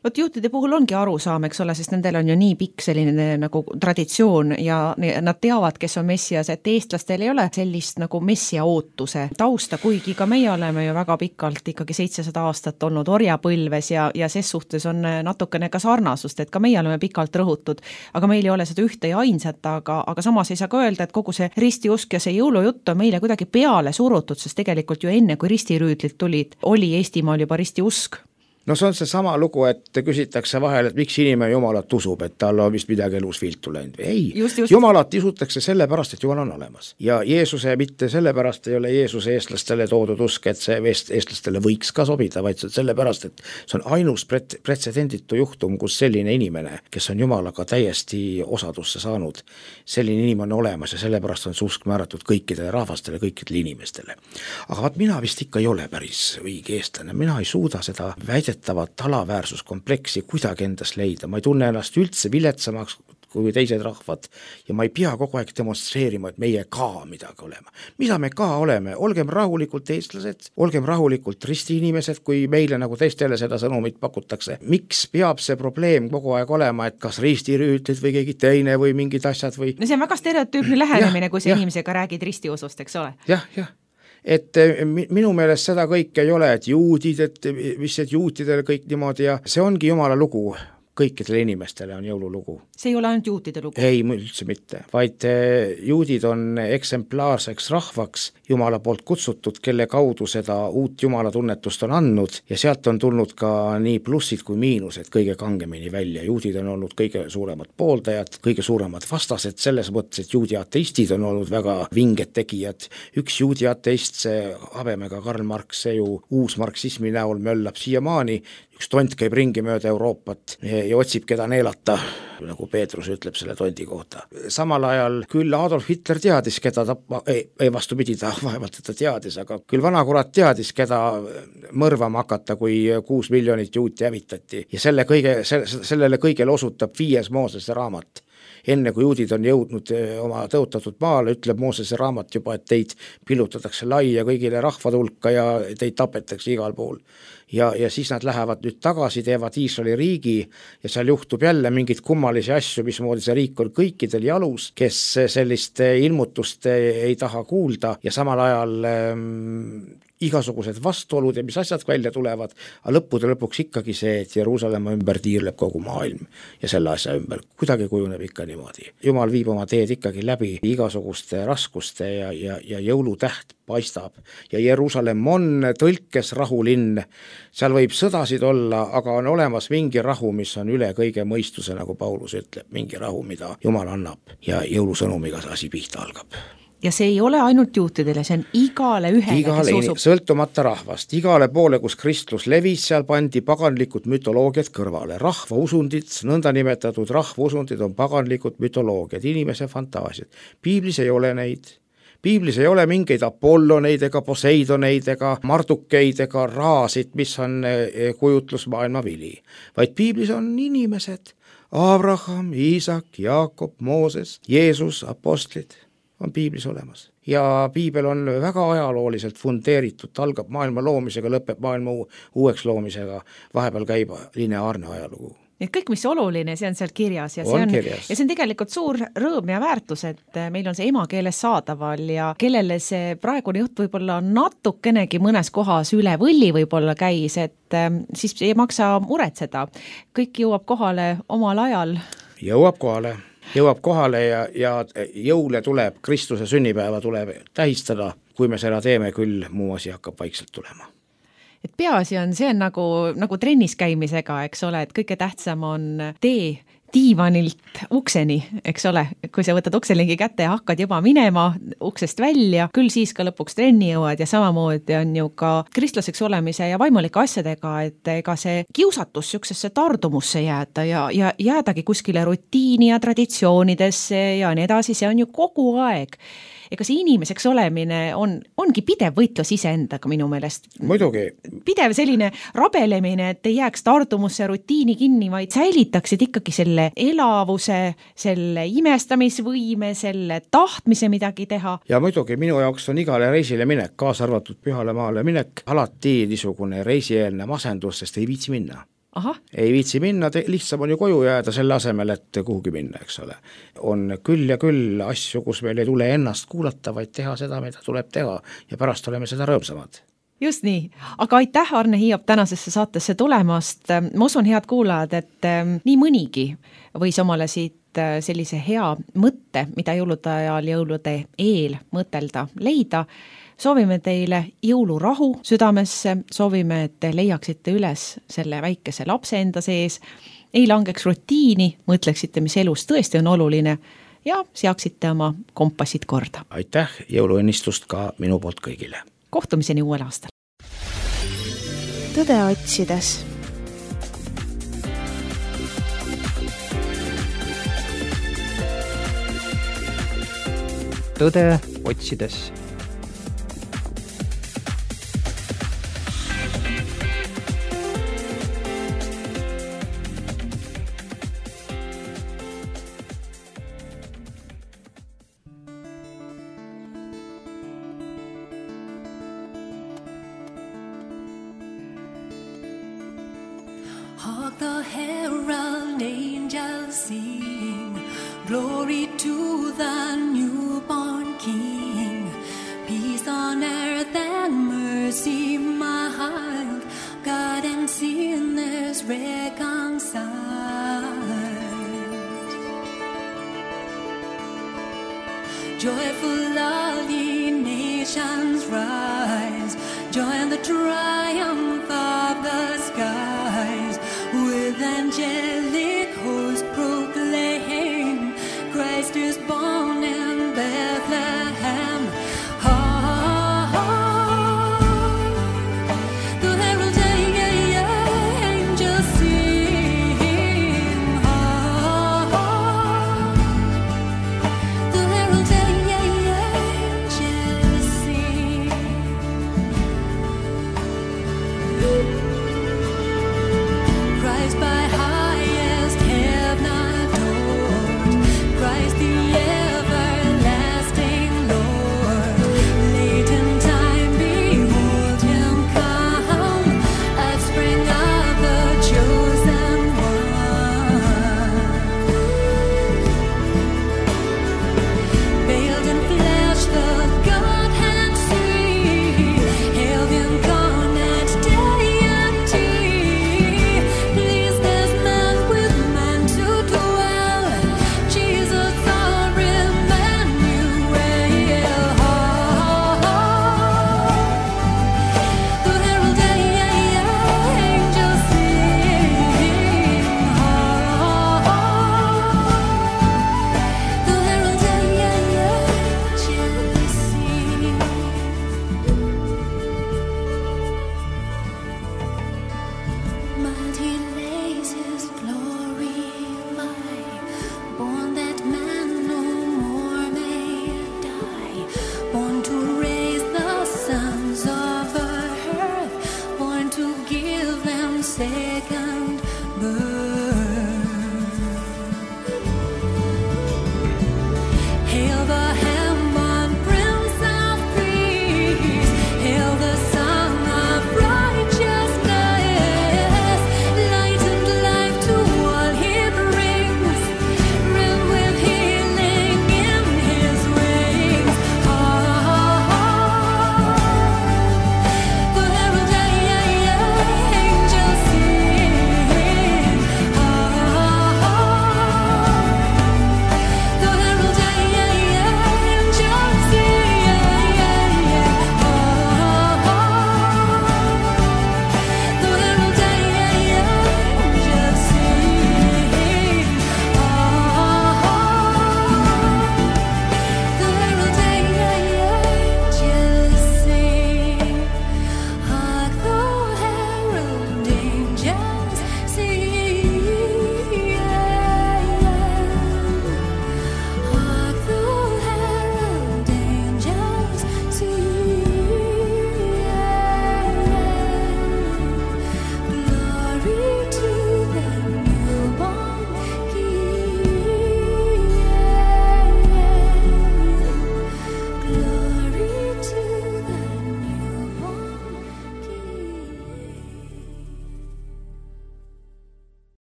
Vot juutide puhul ongi arusaam, eks ole, sest nendel on ju nii pikk selline nagu traditsioon ja nad teavad, kes on messias, et eestlastel ei ole sellist nagu messia ootuse tausta, kuigi ka meie oleme ju väga pikalt ikkagi 700 aastat olnud orjapõlves ja ses suhtes on natukene ka sarnasust, et ka meie oleme pikalt rõhutud, aga meil ei ole seda ühte ja ainsat, aga samas ei saa ka öelda, et kogu see ristiusk ja see jõulujutt on meile kuidagi peale surutud, sest tegelikult ju enne, kui ristirüüdlid tulid, oli Eestimaal juba ristiusk. No see on see sama lugu, et küsitakse vahel, et miks inimene Jumalat usub, et tal on vist midagi elus viltu läinud. Ei, just. Jumalat usutakse sellepärast, et Jumal on olemas. Ja Jeesuse mitte sellepärast ei ole Jeesuse eestlastele toodud usk, et see eestlastele võiks ka sobida, vaid sellepärast, et see on ainus pretsedenditu juhtum, kus selline inimene, kes on Jumalaga täiesti osadusse saanud, selline inimene on olemas ja sellepärast on see usk määratud kõikidele rahvastele, kõikidele inimestele. Aga vaat mina vist ikka ei ole päris õige eestlane, mina ei suuda seda alaväärsuskompleksi kuidagi endas leida, ma ei tunne ennast üldse viletsamaks kui teised rahvad ja ma ei pea kogu aeg demonstreerima, et meie ka midagi olema. Mida me ka oleme? Olgem rahulikult eestlased, olgem rahulikult ristiinimesed, kui meile nagu teistele seda sõnumit pakutakse. Miks peab see probleem kogu aeg olema, et kas ristirüütlid või keegi teine või mingid asjad või... No see on väga stereotüüpne lähenemine, kui see inimesega räägid ristiusust, eks ole? Jah. Et minu meelest seda kõik ei ole, et juudid, et mis et juutidel kõik niimoodi ja see ongi Jumala lugu. Kõikidele inimestele on jõululugu. See ei ole ainult juutide lugu? Ei, üldse mitte, vaid juudid on eksemplaarseks rahvaks Jumala poolt kutsutud, kelle kaudu seda uut Jumala tunnetust on andnud ja sealt on tulnud ka nii plussid kui miinused kõige kangemini välja. Juudid on olnud kõige suuremad pooldajad, kõige suuremad vastased selles mõttes, et juudi ateistid on olnud väga vinged tegijad. Üks juudi ateist, see habemega Karl Marx, see ju uus marksismi näol möllab siiamaani, üks tont käib ringi mööda Euroopat ja otsib, keda neelata, nagu Peetrus ütleb selle tondi kohta. Samal ajal küll Adolf Hitler teadis, keda vastupidi, ta vaevalt teda teadis, aga küll vanakurat teadis, keda mõrvama hakata, kui 6 miljonit juuti hävitati. Ja sellele kõigele osutab 5. Moosese raamat. Enne kui juudid on jõudnud oma tõotatud maale, ütleb Moosese raamat juba, et teid pillutatakse laia kõigile rahvad hulka ja teid tapetakse igal pool. Ja siis nad lähevad nüüd tagasi, teevad Iisraeli riigi ja seal juhtub jälle mingid kummalisi asju, mismoodi see riik on kõikidel jalus, kes sellist ilmutust ei taha kuulda ja samal ajal igasugused vastuolud ja mis asjad välja tulevad, aga lõpuks ikkagi see, et Jeruusalemma ümber tiirleb kogu maailm ja selle asja ümber kuidagi kujuneb ikka niimoodi. Jumal viib oma teed ikkagi läbi igasuguste raskuste ja jõulutäht paistab ja Jeruusalemm on tõlkes rahulinn, seal võib sõdasid olla, aga on olemas mingi rahu, mis on üle kõige mõistuse, nagu Paulus ütleb, mingi rahu, mida Jumal annab ja jõulusõnumiga see asi pihta algab. Ja see ei ole ainult juutidele, see on igale ühele, kes usub. Sõltumata rahvast, igale poole, kus kristlus levis, seal pandi paganlikud mütoloogiad kõrvale. Rahvausundid, nõndanimetatud rahvausundid on paganlikud mütoloogiad, inimese fantaasiad. Piiblis ei ole neid. Piiblis ei ole mingeid Apolloneid ega Poseidoneid ega Mardukeid ega Raasid, mis on kujutlusmaailma vili. Vaid Piiblis on inimesed, Abraham, Iisak, Jaakob, Mooses, Jeesus, apostlid on Piiblis olemas. Ja Piibel on väga ajalooliselt fundeeritud, algab maailma loomisega, lõpeb maailma uueks loomisega, vahepeal käib lineaarne ajalugu. et kõik, mis oluline, see on seal kirjas ja see on tegelikult suur rõõm ja väärtus, et meil on see emakeeles saadaval ja kellele see praegune jutt võib-olla natukenegi mõnes kohas üle võlli võib-olla käis, et siis ei maksa muretseda. Kõik jõuab kohale omal ajal. Jõuab kohale ja jõule tuleb, Kristuse sünnipäeva tuleb tähistada, kui me seda teeme, küll muu asi hakkab vaikselt tulema. Et peaasi on, see on nagu trennis käimisega, eks ole, et kõige tähtsam on tee diivanilt ukseni, eks ole, kui sa võtad ukselingi kätte ja hakkad juba minema uksest välja, küll siis ka lõpuks trenni jõuad ja samamoodi on ju ka kristlaseks olemise ja vaimulike asjadega, et ega see kiusatus süksesse tardumusse jääda ja jäädagi kuskile rutiini ja traditsioonidesse ja nii edasi, see on ju kogu aeg. Ega see inimeseks olemine ongi pidev võitlus iseendaga minu meelest. Muidugi. Pidev selline rabelemine, et ei jääks tardumusse rutiini kinni, vaid säilitaksid ikkagi selle elavuse, selle imestamisvõime, selle tahtmise midagi teha. Ja muidugi minu jaoks on igale reisile minek, kaasa arvatud Pühale maale minek, alati niisugune reisieelne masendus, sest ei viitsi minna. Aha. Ei viitsi minna, lihtsam on ju koju jääda selle asemel, et kuhugi minna, eks ole. On küll ja küll asju, kus meil ei tule ennast kuulata, vaid teha seda, mida tuleb teha ja pärast oleme seda rõõmsamad. Just nii, aga aitäh Arne Hiiop tänasesse saatesse tulemast. Ma usun, head kuulajad, et nii mõnigi võis omale siit sellise hea mõtte, mida jõulude ajal jõulude eel mõtelda, leida. Soovime teile jõulurahu südamesse, soovime, et te leiaksite üles selle väikese lapse enda sees, ei langeks rutiini, mõtleksite, mis elus tõesti on oluline ja seaksite oma kompassid korda. Aitäh, jõuluõnnistust ka minu poolt kõigile. Kohtumiseni uuel aastal. Tõde otsides. Tõde otsides. Hark the herald angels sing, glory to the newborn King. Peace on earth and mercy mild, God and sinners reconciled. Joyful all ye nations rise, join the triumph of the skies with angels.